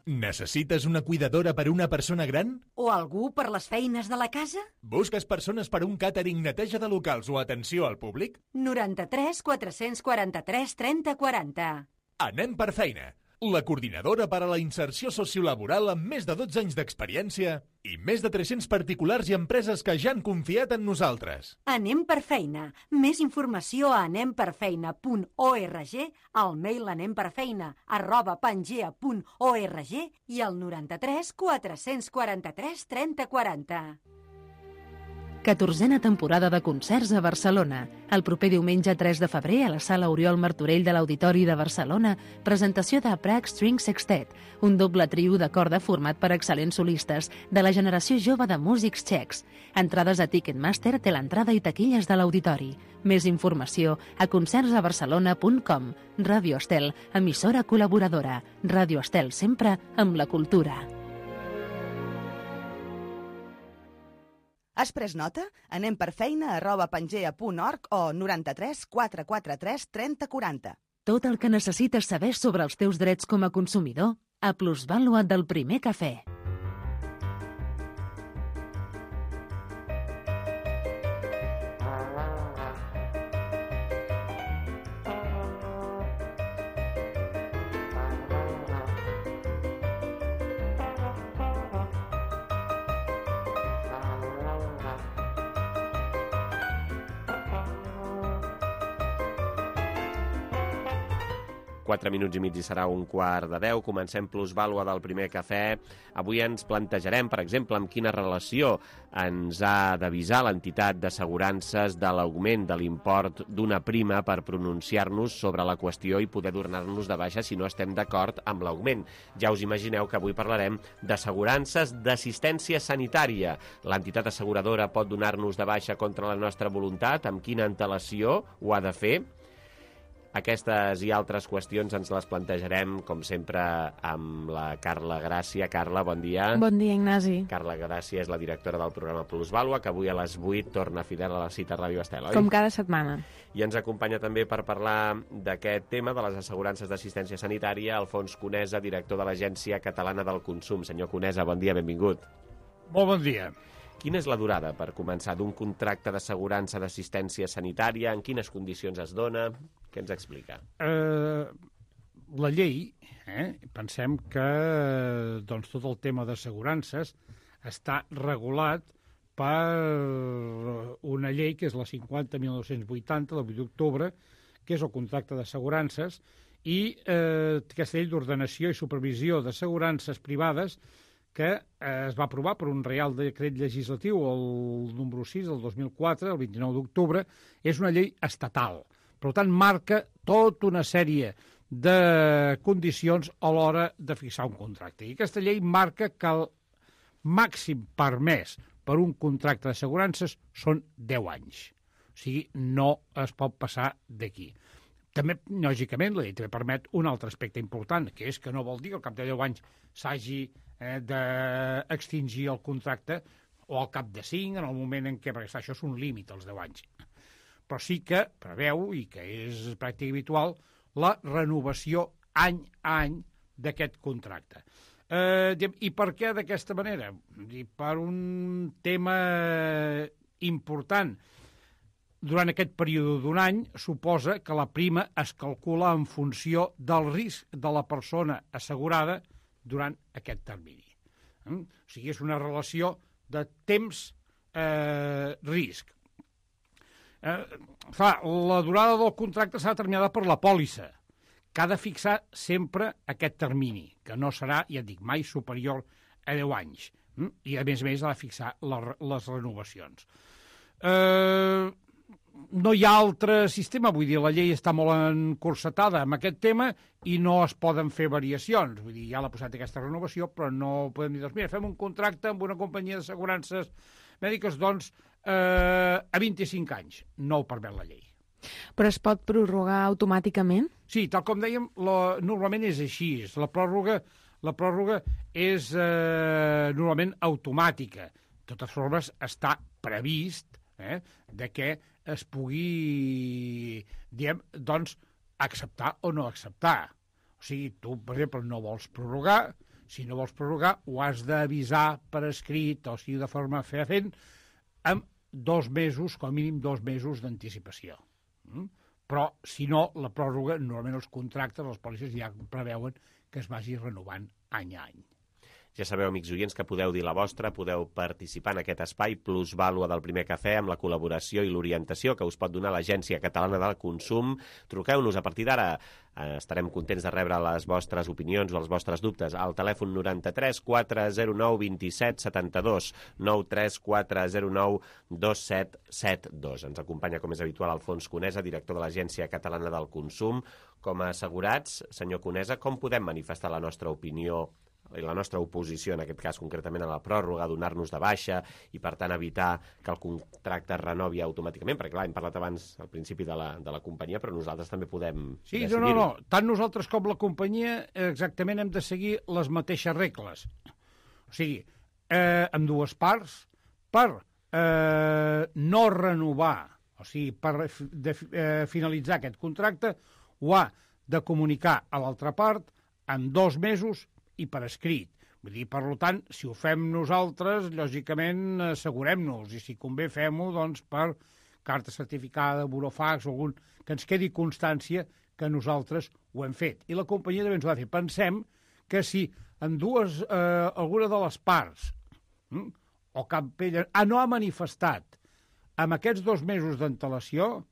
Necessites una cuidadora per a una persona gran? O algú per les feines de la casa? Busques persones per a un càtering, neteja de locals o atenció al públic? noranta-tres quatre-cents quaranta-tres trenta quaranta. Anem per feina. La coordinadora per a la inserció sociolaboral amb més de dotze anys d'experiència i més de tres-cents particulars i empreses que ja han confiat en nosaltres. Anem per feina. Més informació a anemperfeina punt org, al mail anemperfeina arroba pangea punt org i al noranta-tres quatre-cents quaranta-tres trenta quaranta. catorzena temporada de concerts a Barcelona. El proper diumenge tres de febrer a la sala Oriol Martorell de l'Auditori de Barcelona, presentació de Prague String Sextet, un doble trio de corda format per excel·lents solistes de la generació jove de músics txecs. Entrades a Ticketmaster, té l'entrada i taquilles de l'Auditori. Més informació a concerts a barcelona punt com. Ràdio Estel, emissora col·laboradora. Ràdio Estel, sempre amb la cultura. Has pres nota? Anem per feina arroba pangea punt org o noranta-tres quatre quaranta-tres trenta quaranta. Tot el que necessites saber sobre els teus drets com a consumidor a Plusvàlua del Primer Cafè. Quatre minuts i mig i serà un quart de deu. Comencem Plusvàlua del Primer Cafè. Avui ens plantejarem, per exemple, amb quina relació ens ha d'avisar l'entitat d'assegurances de l'augment de l'import d'una prima per pronunciar-nos sobre la qüestió i poder donar-nos de baixa si no estem d'acord amb l'augment. Ja us imagineu que avui parlarem d'assegurances d'assistència sanitària. L'entitat asseguradora pot donar-nos de baixa contra la nostra voluntat? Amb quina antelació ho ha de fer? Aquestes i altres qüestions ens les plantejarem, com sempre, amb la Carla Gràcia. Carla, bon dia. Bon dia, Ignasi. Carla Gràcia és la directora del programa Plusvàlua, que avui a les vuit torna fidel a la cita a Ràdio Estel, oi? Com cada setmana. I ens acompanya també per parlar d'aquest tema de les assegurances d'assistència sanitària Alfons Conesa, director de l'Agència Catalana del Consum. Senyor Conesa, bon dia, benvingut. Molt bon dia. Quina és la durada, per començar, d'un contracte d'assegurança d'assistència sanitària? En quines condicions es dona? Què ens explica? Eh, la llei, eh, pensem que doncs, tot el tema d'assegurances està regulat per una llei que és la cinquanta mil nou-cents vuitanta, del vuit d'octubre, que és el contracte d'assegurances, i eh, aquesta llei d'ordenació i supervisió d'assegurances privades que eh, es va aprovar per un Reial Decret Legislatiu, el número sis del dos mil quatre, el vint-i-nou d'octubre, és una llei estatal. Per tant, marca tota una sèrie de condicions a l'hora de fixar un contracte. I aquesta llei marca que el màxim permès per un contracte d'assegurances són deu anys. O sigui, no es pot passar d'aquí. També, lògicament, la llei també permet un altre aspecte important, que és que no vol dir que al cap de deu anys s'hagi eh, d'extingir el contracte o al cap de cinc, en el moment en què, perquè això és un límit, els deu anys. Però sí que preveu, i que és pràctica habitual, la renovació any a any d'aquest contracte. Eh, I per què d'aquesta manera? I per un tema important. Durant aquest període d'un any, suposa que la prima es calcula en funció del risc de la persona assegurada durant aquest termini. O sigui, és una relació de temps-risc. Eh, clar, la durada del contracte serà determinada per la pòlissa, que ha de fixar sempre aquest termini, que no serà, ja et dic, mai superior a deu anys. I, a més a més, ha de fixar les renovacions. Eh... No hi ha altre sistema, vull dir, la llei està molt encursetada amb aquest tema i no es poden fer variacions. Vull dir, ja l'ha posat aquesta renovació, però no podem dir, doncs mira, fem un contracte amb una companyia d'assegurances mèdiques, doncs, eh, a vint-i-cinc anys. No ho permet la llei. Però es pot prorrogar automàticament? Sí, tal com dèiem, la, normalment és així. La pròrroga, la pròrroga és eh, normalment automàtica. De totes formes, està previst eh, de que es pugui, diguem, doncs, acceptar o no acceptar. O sigui, tu, per exemple, no vols prorrogar. Si no vols prorrogar, ho has d'avisar per escrit, o sigui, de forma fefaent, amb dos mesos, com a mínim dos mesos d'anticipació. Mm? Però, si no, la pròrroga, normalment els contractes, les pòlisses ja preveuen que es vagi renovant any a any. Ja sabeu, amics oients, que podeu dir la vostra, podeu participar en aquest espai plusvàlua del Primer Cafè amb la col·laboració i l'orientació que us pot donar l'Agència Catalana del Consum. Truqueu-nos a partir d'ara. Estarem contents de rebre les vostres opinions o els vostres dubtes al telèfon noranta-tres quatre zero nou dos set set dos, nou tres quatre zero nou dos set set dos. Ens acompanya, com és habitual, Alfons Conesa, director de l'Agència Catalana del Consum. Com a assegurats, senyor Conesa, com podem manifestar la nostra opinió i la nostra oposició, en aquest cas concretament a la pròrroga, donar-nos de baixa i, per tant, evitar que el contracte es renovi automàticament? Perquè, clar, hem parlat abans al principi de la, de la companyia, però nosaltres també podem sí, decidir-ho. No, no, no. Tant nosaltres com la companyia exactament hem de seguir les mateixes regles. O sigui, eh, amb dues parts, per eh, no renovar, o sigui, per de, eh, finalitzar aquest contracte, ho ha de comunicar a l'altra part en dos mesos i per escrit. Vull dir, per tant, si ho fem nosaltres, lògicament assegurem-nos, i si convé fem-ho, doncs, per carta certificada, burofax, o algun, que ens quedi constància que nosaltres ho hem fet. I la companyia també ens ho ha de fer. Pensem que si en dues, eh, alguna de les parts, hm, o cap ella, ah, no ha manifestat amb aquests dos mesos d'antelació,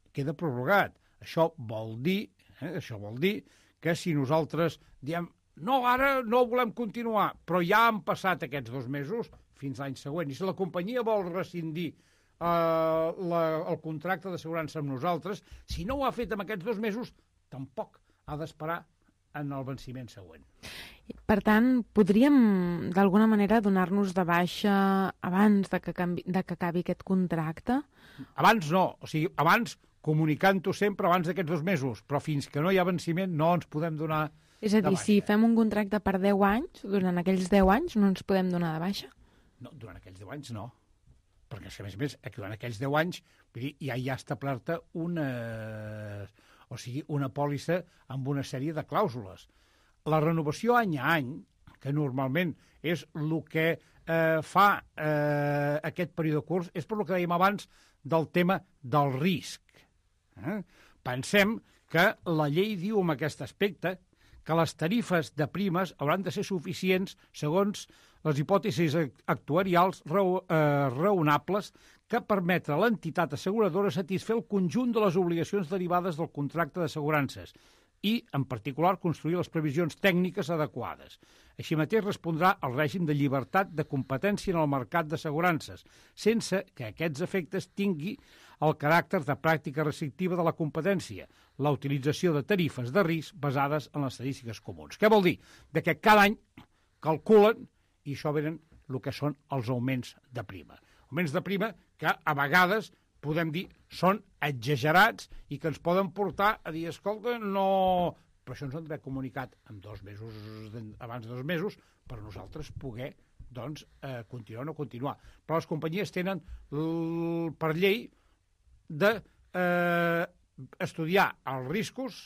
queda prorrogat. Això vol dir, eh, això vol dir que si nosaltres diem no, ara no volem continuar, però ja han passat aquests dos mesos fins l'any següent. I si la companyia vol rescindir eh, la, el contracte d'assegurança amb nosaltres, si no ho ha fet en aquests dos mesos, tampoc ha d'esperar en el venciment següent. Per tant, podríem d'alguna manera donar-nos de baixa abans de que, canvi, de que acabi aquest contracte? Abans no, o sigui, abans comunicant-ho sempre abans d'aquests dos mesos, però fins que no hi ha venciment no ens podem donar. És a dir, si fem un contracte per deu anys, durant aquells deu anys no ens podem donar de baixa? No, durant aquells deu anys no. Perquè, a més a més, durant aquells deu anys vull dir, ja hi ha establerta una, o sigui, una pòlissa amb una sèrie de clàusules. La renovació any a any, que normalment és el que eh, fa eh, aquest període curs, és per el que dèiem abans del tema del risc. Eh? Pensem que la llei diu en aquest aspecte que les tarifes de primes hauran de ser suficients segons les hipòtesis actuarials raó, eh, raonables que permetre a l'entitat asseguradora satisfer el conjunt de les obligacions derivades del contracte d'assegurances i, en particular, construir les previsions tècniques adequades. Així mateix respondrà al règim de llibertat de competència en el mercat d'assegurances, sense que aquests efectes tingui el caràcter de pràctica restrictiva de la competència, la utilització de tarifes de risc basades en les estadístiques comuns. Què vol dir? De que cada any calculen, i això venen el que són els augments de prima. Augments de prima que a vegades podem dir són exagerats i que ens poden portar a dir, escolta, no... Però això ens ho han d'haver comunicat en dos mesos, abans de dos mesos, per nosaltres poder doncs, eh, continuar o no continuar. Però les companyies tenen l... per llei de eh, estudiar els riscos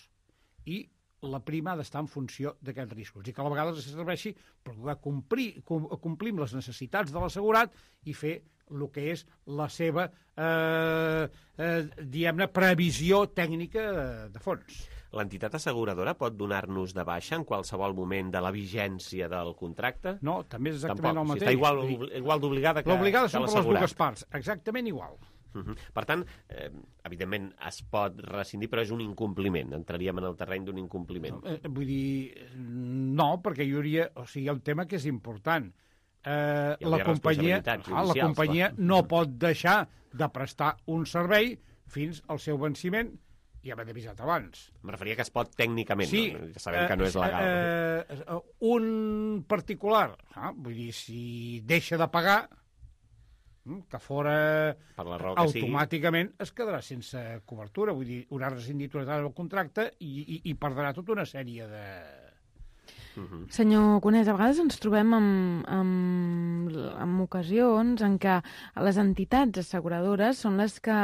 i la prima ha d'estar en funció d'aquests riscos i que a la vegada es serveixi per poder complir, complir amb les necessitats de l'assegurat i fer el que és la seva eh, eh, diguem-ne, previsió tècnica de, de fons. L'entitat asseguradora pot donar-nos de baixa en qualsevol moment de la vigència del contracte? No, també és exactament Tampoc. el mateix. Si està igual, igual d'obligada que, L'obligada que són per les dues parts, exactament igual. Uh-huh. Per tant, eh, evidentment es pot rescindir, però és un incompliment. Entraríem en el terreny d'un incompliment. No, eh, vull dir, no, perquè hi hauria... O sigui, el tema que és important. Eh, la companyia, ah, la companyia no pot deixar de prestar un servei fins al seu venciment i haver d'avisat abans. Em referia que es pot tècnicament, sí, no? Ja sabem eh, que no és legal. Eh, eh, un particular, ah, vull dir, si deixa de pagar, que fora per la raó que automàticament sigui, es quedarà sense cobertura. Vull dir, haurà rescindit una data del contracte i, i, i perdrà tota una sèrie de... Uh-huh. Senyor Conés, a vegades ens trobem amb, amb, amb ocasions en què les entitats asseguradores són les que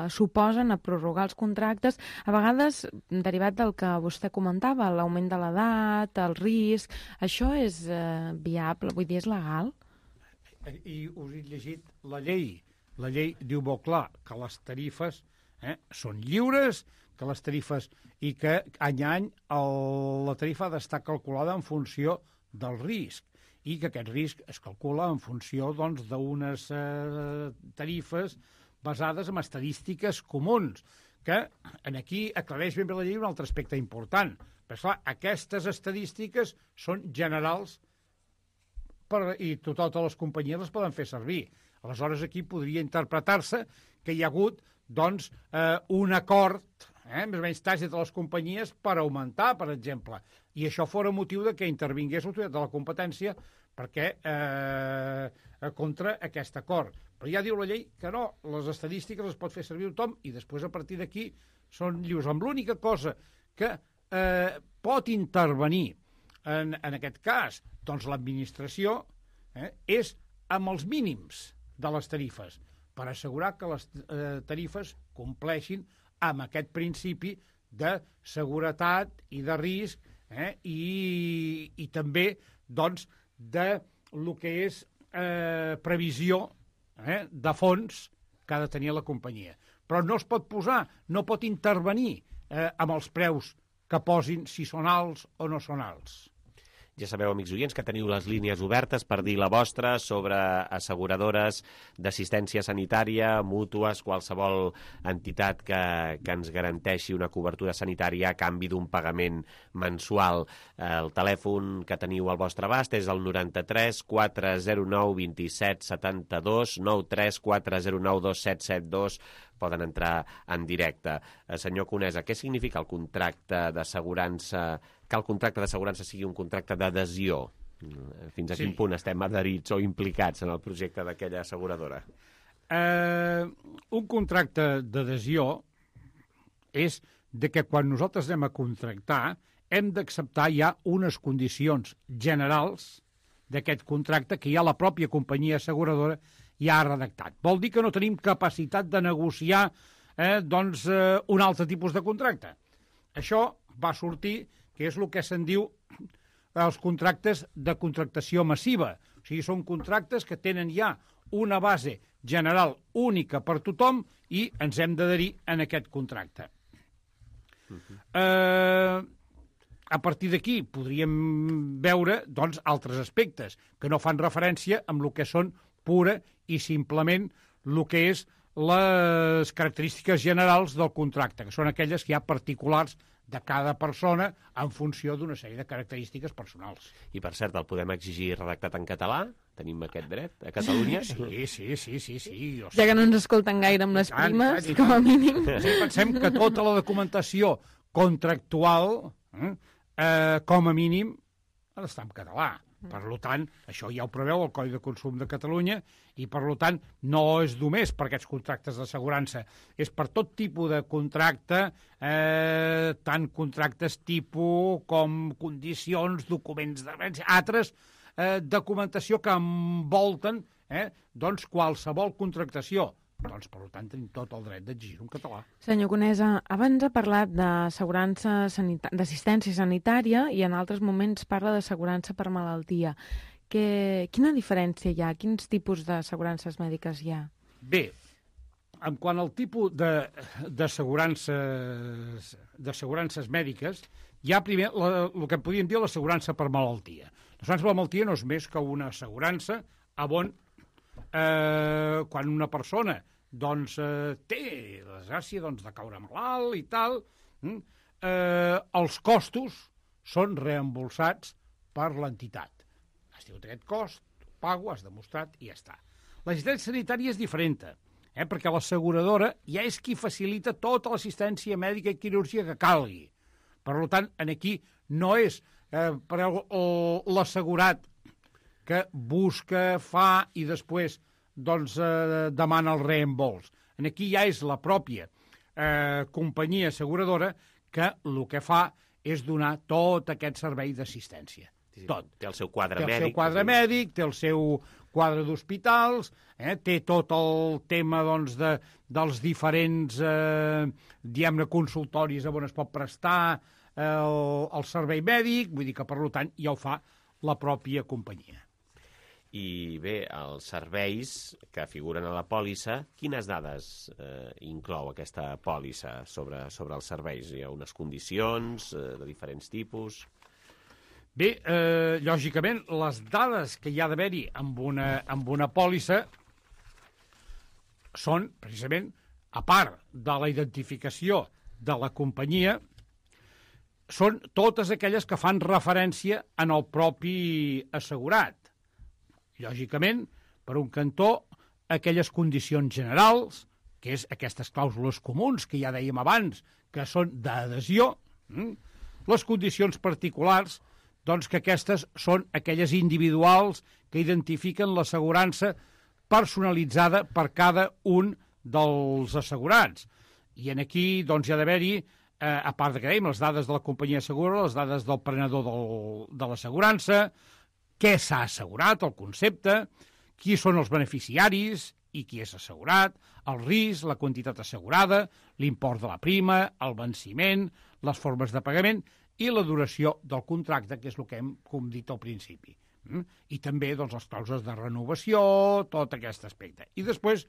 s'oposen a prorrogar els contractes, a vegades derivat del que vostè comentava, l'augment de l'edat, el risc. Això és eh, viable? Vull dir, és legal? I us he llegit la llei. La llei diu molt clar que les tarifes eh, són lliures, que les tarifes i que any a any el, la tarifa ha d'estar calculada en funció del risc i que aquest risc es calcula en funció doncs, d'unes eh, tarifes basades en estadístiques comuns, que en aquí aclareix ben bé la llei un altre aspecte important. Però, clar, aquestes estadístiques són generals per, i totes les companyies les poden fer servir. Aleshores, aquí podria interpretar-se que hi ha hagut doncs, eh, un acord eh, més o menys tàcit de les companyies per augmentar, per exemple. I això fora motiu de que intervingués l'autoritat de la competència perquè eh, contra aquest acord. Però ja diu la llei que no, les estadístiques les pot fer servir tothom i després a partir d'aquí són lliures. Amb l'única cosa que eh, pot intervenir en, en aquest cas, doncs l'administració eh, és amb els mínims de les tarifes, per assegurar que les eh, tarifes compleixin amb aquest principi de seguretat i de risc eh, i, i també doncs, de el que és eh, previsió eh, de fons que ha de tenir la companyia. Però no es pot posar, no pot intervenir eh, amb els preus que posin si són alts o no són alts. Ja sabeu, amics oients, que teniu les línies obertes per dir la vostra sobre asseguradores d'assistència sanitària, mútues, qualsevol entitat que, que ens garanteixi una cobertura sanitària a canvi d'un pagament mensual. El telèfon que teniu al vostre abast és el noranta-tres quatre zero nou vint set setanta-dos, nou tres quatre zero nou dos set set dos. Poden entrar en directe. Senyor Conesa, què significa el contracte d'assegurança, que el contracte d'assegurança sigui un contracte d'adhesió? Fins a sí. Quin punt estem adherits o implicats en el projecte d'aquella asseguradora? Eh, un contracte d'adhesió és de que quan nosaltres anem a contractar hem d'acceptar ja unes condicions generals d'aquest contracte que ja la pròpia companyia asseguradora ja ha redactat. Vol dir que no tenim capacitat de negociar eh, doncs, eh, un altre tipus de contracte. Això va sortir, que és el que se'n diu els contractes de contractació massiva. O sigui, són contractes que tenen ja una base general única per tothom i ens hem d'adherir en aquest contracte. Uh-huh. Eh... A partir d'aquí podríem veure doncs, altres aspectes que no fan referència amb el que són pura i simplement el que és les característiques generals del contracte, que són aquelles que hi ha particulars de cada persona en funció d'una sèrie de característiques personals. I, per cert, el podem exigir redactat en català? Tenim aquest dret a Catalunya? Sí, sí, sí, sí. sí. O sigui, ja que no ens escolten gaire amb les tant, primes, tant, com a mínim. Sí, pensem que tota la documentació contractual... Eh, Eh, com a mínim, ha d'estar en català. Per tant, això ja ho preveu el Codi de Consum de Catalunya i, per tant, no és només per aquests contractes d'assegurança, és per tot tipus de contracte, eh, tant contractes tipus com condicions, documents de altres eh, documentació que envolten eh, doncs qualsevol contractació. Doncs, per tant, tenim tot el dret d'exigir un català. Senyor Conesa, abans ha parlat d'assegurança sanita- d'assistència sanitària i en altres moments parla d'assegurança per malaltia. Que, quina diferència hi ha? Quins tipus d'assegurances mèdiques hi ha? Bé, en quant al tipus d'assegurances d'assegurances mèdiques, hi ha primer la, el que podríem dir l'assegurança per malaltia. L'assegurança per malaltia no és més que una assegurança on Eh, quan una persona doncs, eh, té la desgràcia doncs, de caure malalt i tal, eh, els costos són reembolsats per l'entitat. Has tingut aquest cost, ho pago, has demostrat i ja està. L'assistència sanitària és diferent, eh, perquè l'asseguradora ja és qui facilita tota l'assistència mèdica i quirúrgica que calgui. Per tant, aquí no és eh, per l'assegurat que busca, fa i després doncs, eh, demana el reembols. Aquí ja és la pròpia eh, companyia asseguradora que el que fa és donar tot aquest servei d'assistència. Sí, tot. Té el seu quadre té mèdic. Té el seu quadre sí. mèdic, té el seu quadre d'hospitals, eh, té tot el tema doncs, de, dels diferents eh, diguem-ne consultoris on es pot prestar eh, el, el servei mèdic, vull dir que per tant ja ho fa la pròpia companyia. I bé, els serveis que figuren a la pòlissa, quines dades eh, inclou aquesta pòlissa sobre, sobre els serveis? Hi ha unes condicions eh, de diferents tipus? Bé, eh, lògicament, les dades que hi ha d'haver-hi amb una, amb una pòlissa són, precisament, a part de la identificació de la companyia, són totes aquelles que fan referència en el propi assegurat. Lògicament, per un cantó, aquelles condicions generals, que és aquestes clàusules comuns que ja dèiem abans, que són d'adhesió, hm? Les condicions particulars, doncs que aquestes són aquelles individuals que identifiquen l'assegurança personalitzada per cada un dels assegurats. I en aquí doncs, hi ha d'haver-hi, eh, a part de que dèiem, les dades de la companyia asseguradora, les dades del prenedor del, de l'assegurança, què s'ha assegurat, el concepte, qui són els beneficiaris i qui és assegurat, el risc, la quantitat assegurada, l'import de la prima, el venciment, les formes de pagament i la duració del contracte, que és el que hem com dit al principi. I també doncs, les clàusules de renovació, tot aquest aspecte. I després,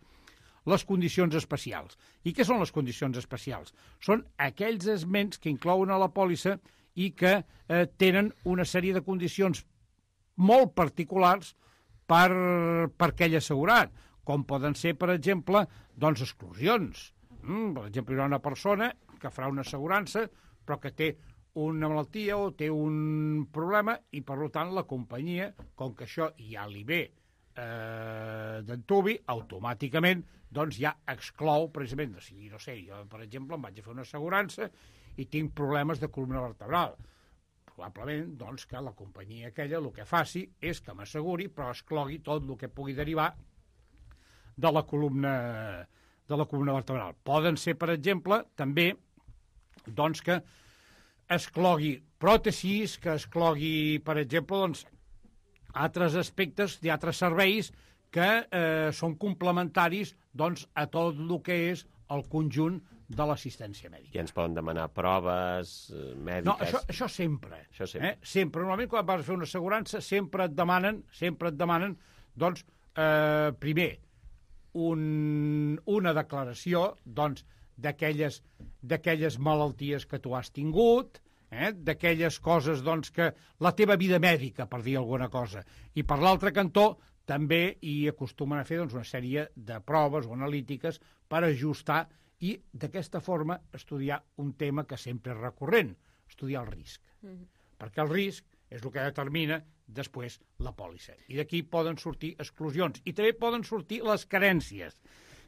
les condicions especials. I què són les condicions especials? Són aquells esments que inclouen a la pòlissa i que eh, tenen una sèrie de condicions molt particulars per, per aquell assegurat, com poden ser, per exemple, doncs, exclusions. Mm, per exemple, hi ha una persona que farà una assegurança, però que té una malaltia o té un problema i, per tant, la companyia, com que això ja li ve eh, d'antubi, automàticament doncs ja exclou, precisament, de si, no sé, jo, per exemple, em vaig a fer una assegurança i tinc problemes de columna vertebral. Probablement, doncs, que la companyia aquella el que faci és que m'asseguri, però exclogui tot el que pugui derivar de la columna, de la columna vertebral. Poden ser, per exemple, també, doncs, que exclogui pròtesis, que exclogui, per exemple, doncs, altres aspectes d'altres serveis que eh, són complementaris doncs, a tot el que és el conjunt de l'assistència mèdica. I ens poden demanar proves eh, mèdiques? No, això, això sempre. Això sempre. Eh? Sempre. Normalment, quan vas a fer una assegurança, sempre et demanen, sempre et demanen, doncs, eh, primer, un, una declaració, doncs, d'aquelles d'aquelles malalties que tu has tingut, eh? D'aquelles coses, doncs, que la teva vida mèdica, per dir alguna cosa. I per l'altre cantó, també hi acostumen a fer doncs, una sèrie de proves o analítiques per ajustar i d'aquesta forma estudiar un tema que sempre és recurrent, estudiar el risc. Mm-hmm. Perquè el risc és el que determina després la pòlissa. I d'aquí poden sortir exclusions. I també poden sortir les carències.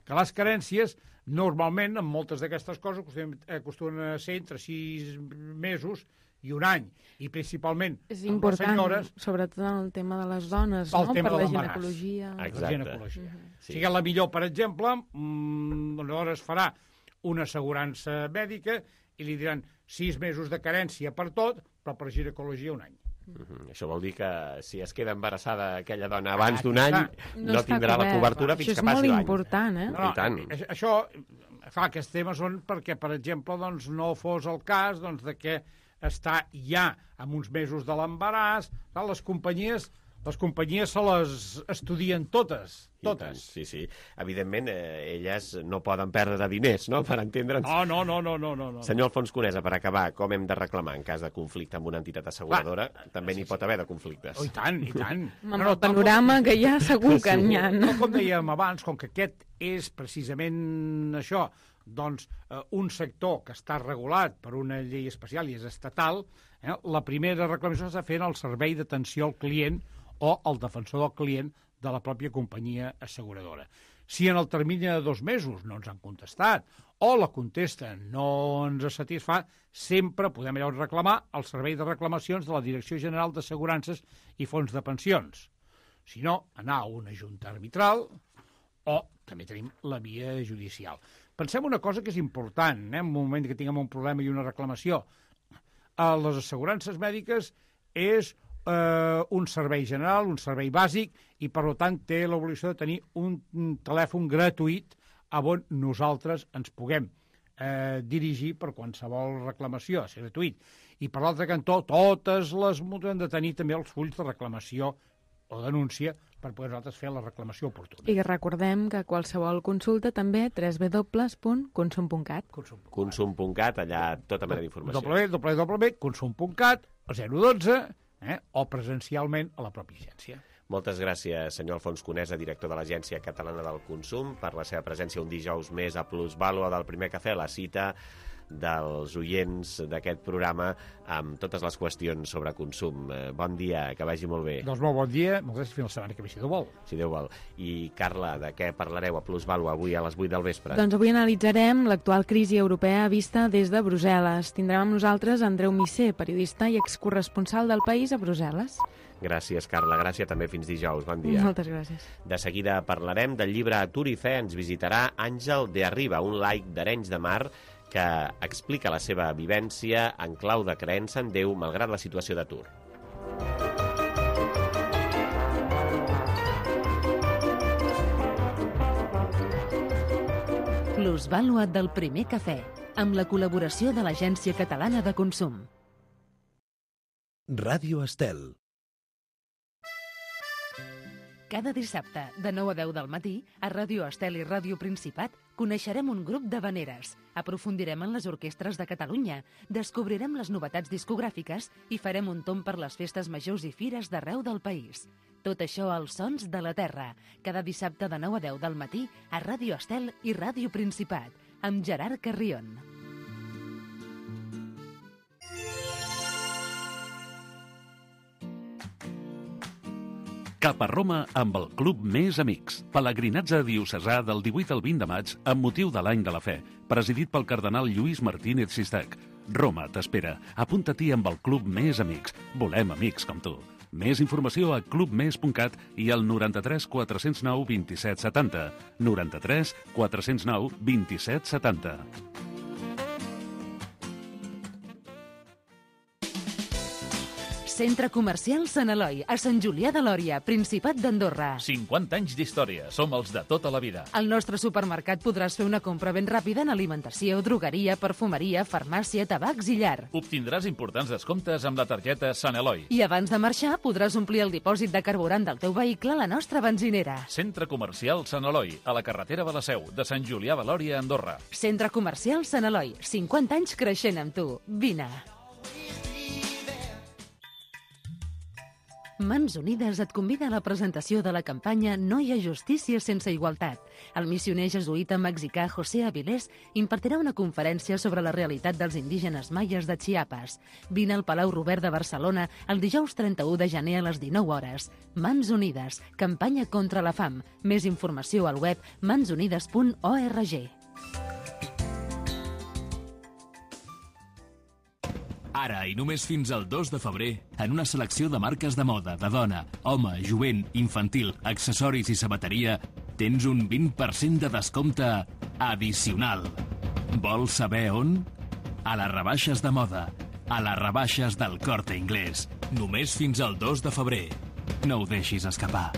Que les carències, normalment, en moltes d'aquestes coses, acostumen a ser entre sis mesos i un any. I principalment és amb important, les senyores... sobretot en el tema de les dones, no? Per la ginecologia. Exacte. La ginecologia. Mm-hmm. Sí. Si la millor, per exemple, mmm, aleshores farà una assegurança mèdica i li diran sis mesos de carència per tot, però per ginecologia un any. Mm-hmm. Això vol dir que si es queda embarassada aquella dona abans d'un any, no, no tindrà la cobertura fins que passi l'any. Això és molt important, eh? No, no, això, clar, aquests temes són perquè, per exemple, doncs, no fos el cas doncs, de que està ja amb uns mesos de l'embaràs, les companyies... Les companyies se les estudien totes, totes. Sí, sí. Evidentment, eh, elles no poden perdre diners, no?, per entendre'ns. No, no, no, no, no, no. Senyor Alfons Conesa, per acabar, com hem de reclamar en cas de conflicte amb una entitat asseguradora? Clar. També n'hi pot haver de conflictes. Oh, i tant, i tant. Amb no, no, el panorama com... que hi ha segur que n'hi ha. No, com dèiem abans, com que aquest és precisament això, doncs eh, un sector que està regulat per una llei especial i és estatal, eh, la primera reclamació s'ha fet al servei d'atenció al client o el defensor del client de la pròpia companyia asseguradora. Si en el termini de dos mesos no ens han contestat o la contesta no ens satisfà, sempre podem llavors reclamar al servei de reclamacions de la Direcció General d'Assegurances i Fons de Pensions. Si no, anar a una junta arbitral també tenim la via judicial. Pensem una cosa que és important, eh? En un moment que tinguem un problema i una reclamació. A les assegurances mèdiques és eh, un servei general, un servei bàsic, i per tant té l'obligació de tenir un, un telèfon gratuït on nosaltres ens puguem eh, dirigir per qualsevol reclamació, és gratuït. I per l'altre cantó, totes les mútues han de tenir també els fulls de reclamació o denúncia per poder nosaltres fer la reclamació oportuna. I recordem que qualsevol consulta també w w w punt consum punt cat. consum punt cat, allà tota mena d'informació. w w w punt consum punt cat, zero dotze, eh, o presencialment a la pròpia agència. Moltes gràcies, senyor Alfons Conesa, director de l'Agència Catalana del Consum, per la seva presència un dijous més a Plusvàlua del Primer Cafè, la cita dels oients d'aquest programa amb totes les qüestions sobre consum. Bon dia, que vagi molt bé. Doncs molt bon dia, moltes gràcies, fins la setmana que ve, si Déu vol. Si Déu vol. I, Carla, de què parlareu a Plusvàlua avui a les vuit del vespre? Doncs avui analitzarem l'actual crisi europea vista des de Brussel·les. Tindrem amb nosaltres Andreu Misser, periodista i excorresponsal del País a Brussel·les. Gràcies, Carla. Gràcies també fins dijous. Bon dia. Moltes gràcies. De seguida parlarem del llibre Atur i Fe. Ens visitarà Àngel de Arriba, un laic d'Arenys de Mar que explica la seva vivència en clau de creença en Déu malgrat la situació d'atur. Plusvàlua del Primer Cafè, amb la col·laboració de l'Agència Catalana de Consum. Ràdio Estel. Cada dissabte, de nou a deu del matí, a Ràdio Estel i Ràdio Principat, coneixerem un grup d'havaneres, aprofundirem en les orquestres de Catalunya, descobrirem les novetats discogràfiques i farem un tomb per les festes majors i fires d'arreu del país. Tot això als Sons de la Terra, cada dissabte de nou a deu del matí a Ràdio Estel i Ràdio Principat, amb Gerard Carrion. Cap a Roma amb el Club Més Amics. Pelegrinatge diocesà del divuit al vint de maig amb motiu de l'Any de la Fe, presidit pel cardenal Lluís Martínez Sistac. Roma t'espera. Apunta-t'hi amb el Club Més Amics. Volem amics com tu. Més informació a club més punt cat i al noranta-tres quatre-cents nou vint-i-set setanta. noranta-tres quatre-cents nou vint-i-set setanta. Centre Comercial Sant Eloi, a Sant Julià de Lòria, Principat d'Andorra. cinquanta anys d'història, som els de tota la vida. Al nostre supermercat podràs fer una compra ben ràpida en alimentació, drogueria, perfumeria, farmàcia, tabacs i llar. Obtindràs importants descomptes amb la targeta Sant Eloi. I abans de marxar podràs omplir el dipòsit de carburant del teu vehicle a la nostra benzinera. Centre Comercial Sant Eloi, a la carretera de la Seu, de Sant Julià de Lòria, Andorra. Centre Comercial Sant Eloi, cinquanta anys creixent amb tu. Vine. Mans Unides et convida a la presentació de la campanya No hi ha justícia sense igualtat. El missioner jesuïta mexicà José Avilés impartirà una conferència sobre la realitat dels indígenes maies de Chiapas. Vine al Palau Robert de Barcelona el dijous trenta-u de gener a les dinou hores. Mans Unides, campanya contra la fam. Més informació al web mans unides punt org. Ara i només fins al dos de febrer, en una selecció de marques de moda, de dona, home, jovent, infantil, accessoris i sabateria, tens un vint per cent de descompte addicional. Vols saber on? A les rebaixes de moda, a les rebaixes del Corte Inglés. Només fins al dos de febrer. No ho deixis escapar.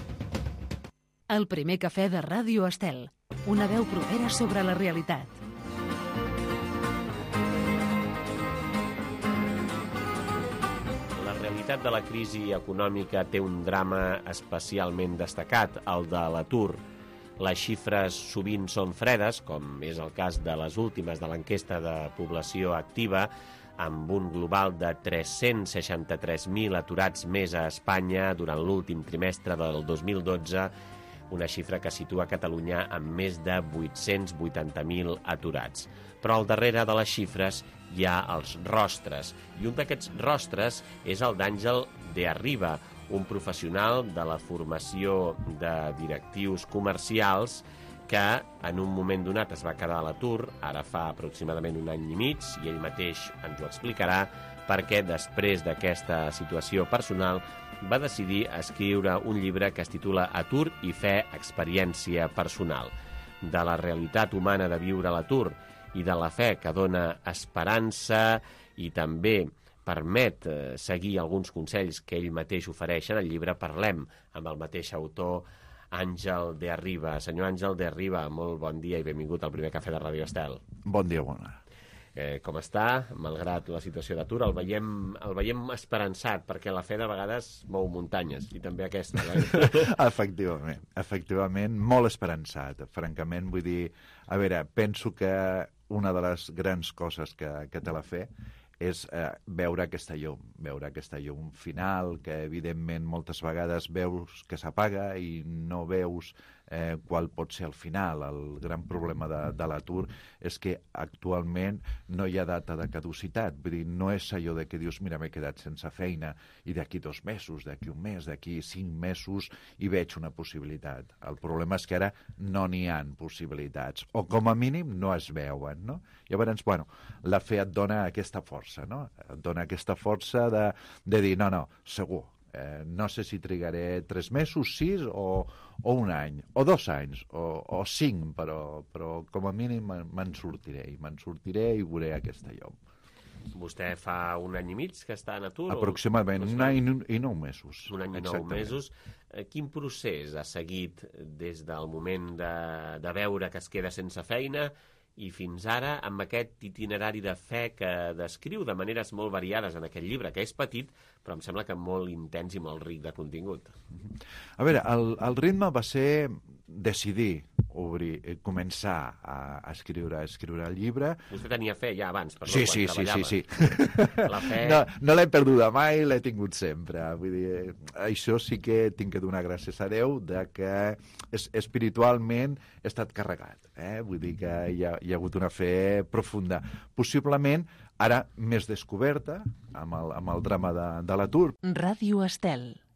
El primer cafè de Ràdio Estel. Una veu propera sobre la realitat. La realitat de la crisi econòmica té un drama especialment destacat, el de l'atur. Les xifres sovint són fredes, com és el cas de les últimes de l'enquesta de població activa, amb un global de tres-cents seixanta-tres mil aturats més a Espanya durant l'últim trimestre del dos mil dotze, una xifra que situa Catalunya amb més de vuit-cents vuitanta mil aturats. Però al darrere de les xifres hi ha els rostres, i un d'aquests rostres és el d'Àngel de Arriba, un professional de la formació de directius comercials que en un moment donat es va quedar a l'atur, ara fa aproximadament un any i mig, i ell mateix ens ho explicarà, perquè després d'aquesta situació personal va decidir escriure un llibre que es titula Atur i Fe, experiència personal. de la realitat humana de viure a l'atur i de la fe que dona esperança i també permet eh, seguir alguns consells que ell mateix ofereix en el llibre. Parlem amb el mateix autor, Àngel de Arriba. Senyor Àngel de Arriba, molt bon dia i benvingut al primer cafè de Ràdio Estel. Bon dia, bona. Eh, com està, malgrat la situació d'atur? El veiem, el veiem esperançat, perquè la fe de vegades mou muntanyes, i també aquesta. Eh? Efectivament, efectivament, molt esperançat. Francament, vull dir, a veure, penso que una de les grans coses que, que té la fe és eh, veure aquesta llum, veure aquesta llum final, que evidentment moltes vegades veus que s'apaga i no veus eh, qual pot ser el final. El gran problema de, de l'atur és que actualment no hi ha data de caducitat. Vull dir, no és allò de que dius, mira, m'he quedat sense feina i d'aquí dos mesos, d'aquí un mes, d'aquí cinc mesos i veig una possibilitat. El problema és que ara no n'hi ha possibilitats, o com a mínim no es veuen, no? Llavors, bueno, la fe et dona aquesta força, no? Et dona aquesta força de, de dir, no, no, segur, eh, no sé si trigaré tres mesos, sis o, o un any, o dos anys, o, o cinc, però, però com a mínim me'n sortiré, i me'n sortiré i veuré aquesta llum. Vostè fa un any i mig que està en atur? Aproximadament, un any i nou mesos. Un any i nou mesos. Quin procés ha seguit des del moment de, de veure que es queda sense feina i fins ara amb aquest itinerari de fe que descriu de maneres molt variades en aquest llibre, que és petit, però em sembla que molt intens i molt ric de contingut? A veure, el, el ritme va ser decidir obrir, començar a, a escriure a escriure el llibre. Vostè tenia fe ja abans, perdó, sí, quan sí, treballava. Sí, sí, sí. La fe... No, no l'he perduda mai, l'he tingut sempre. Vull dir, això sí que tinc que donar gràcies a Déu de que es, espiritualment he estat carregat. Eh? Vull dir que hi ha, hi ha hagut una fe profunda. Possiblement ara més descoberta amb el, amb el drama de, de l'atur. Ràdio Estel.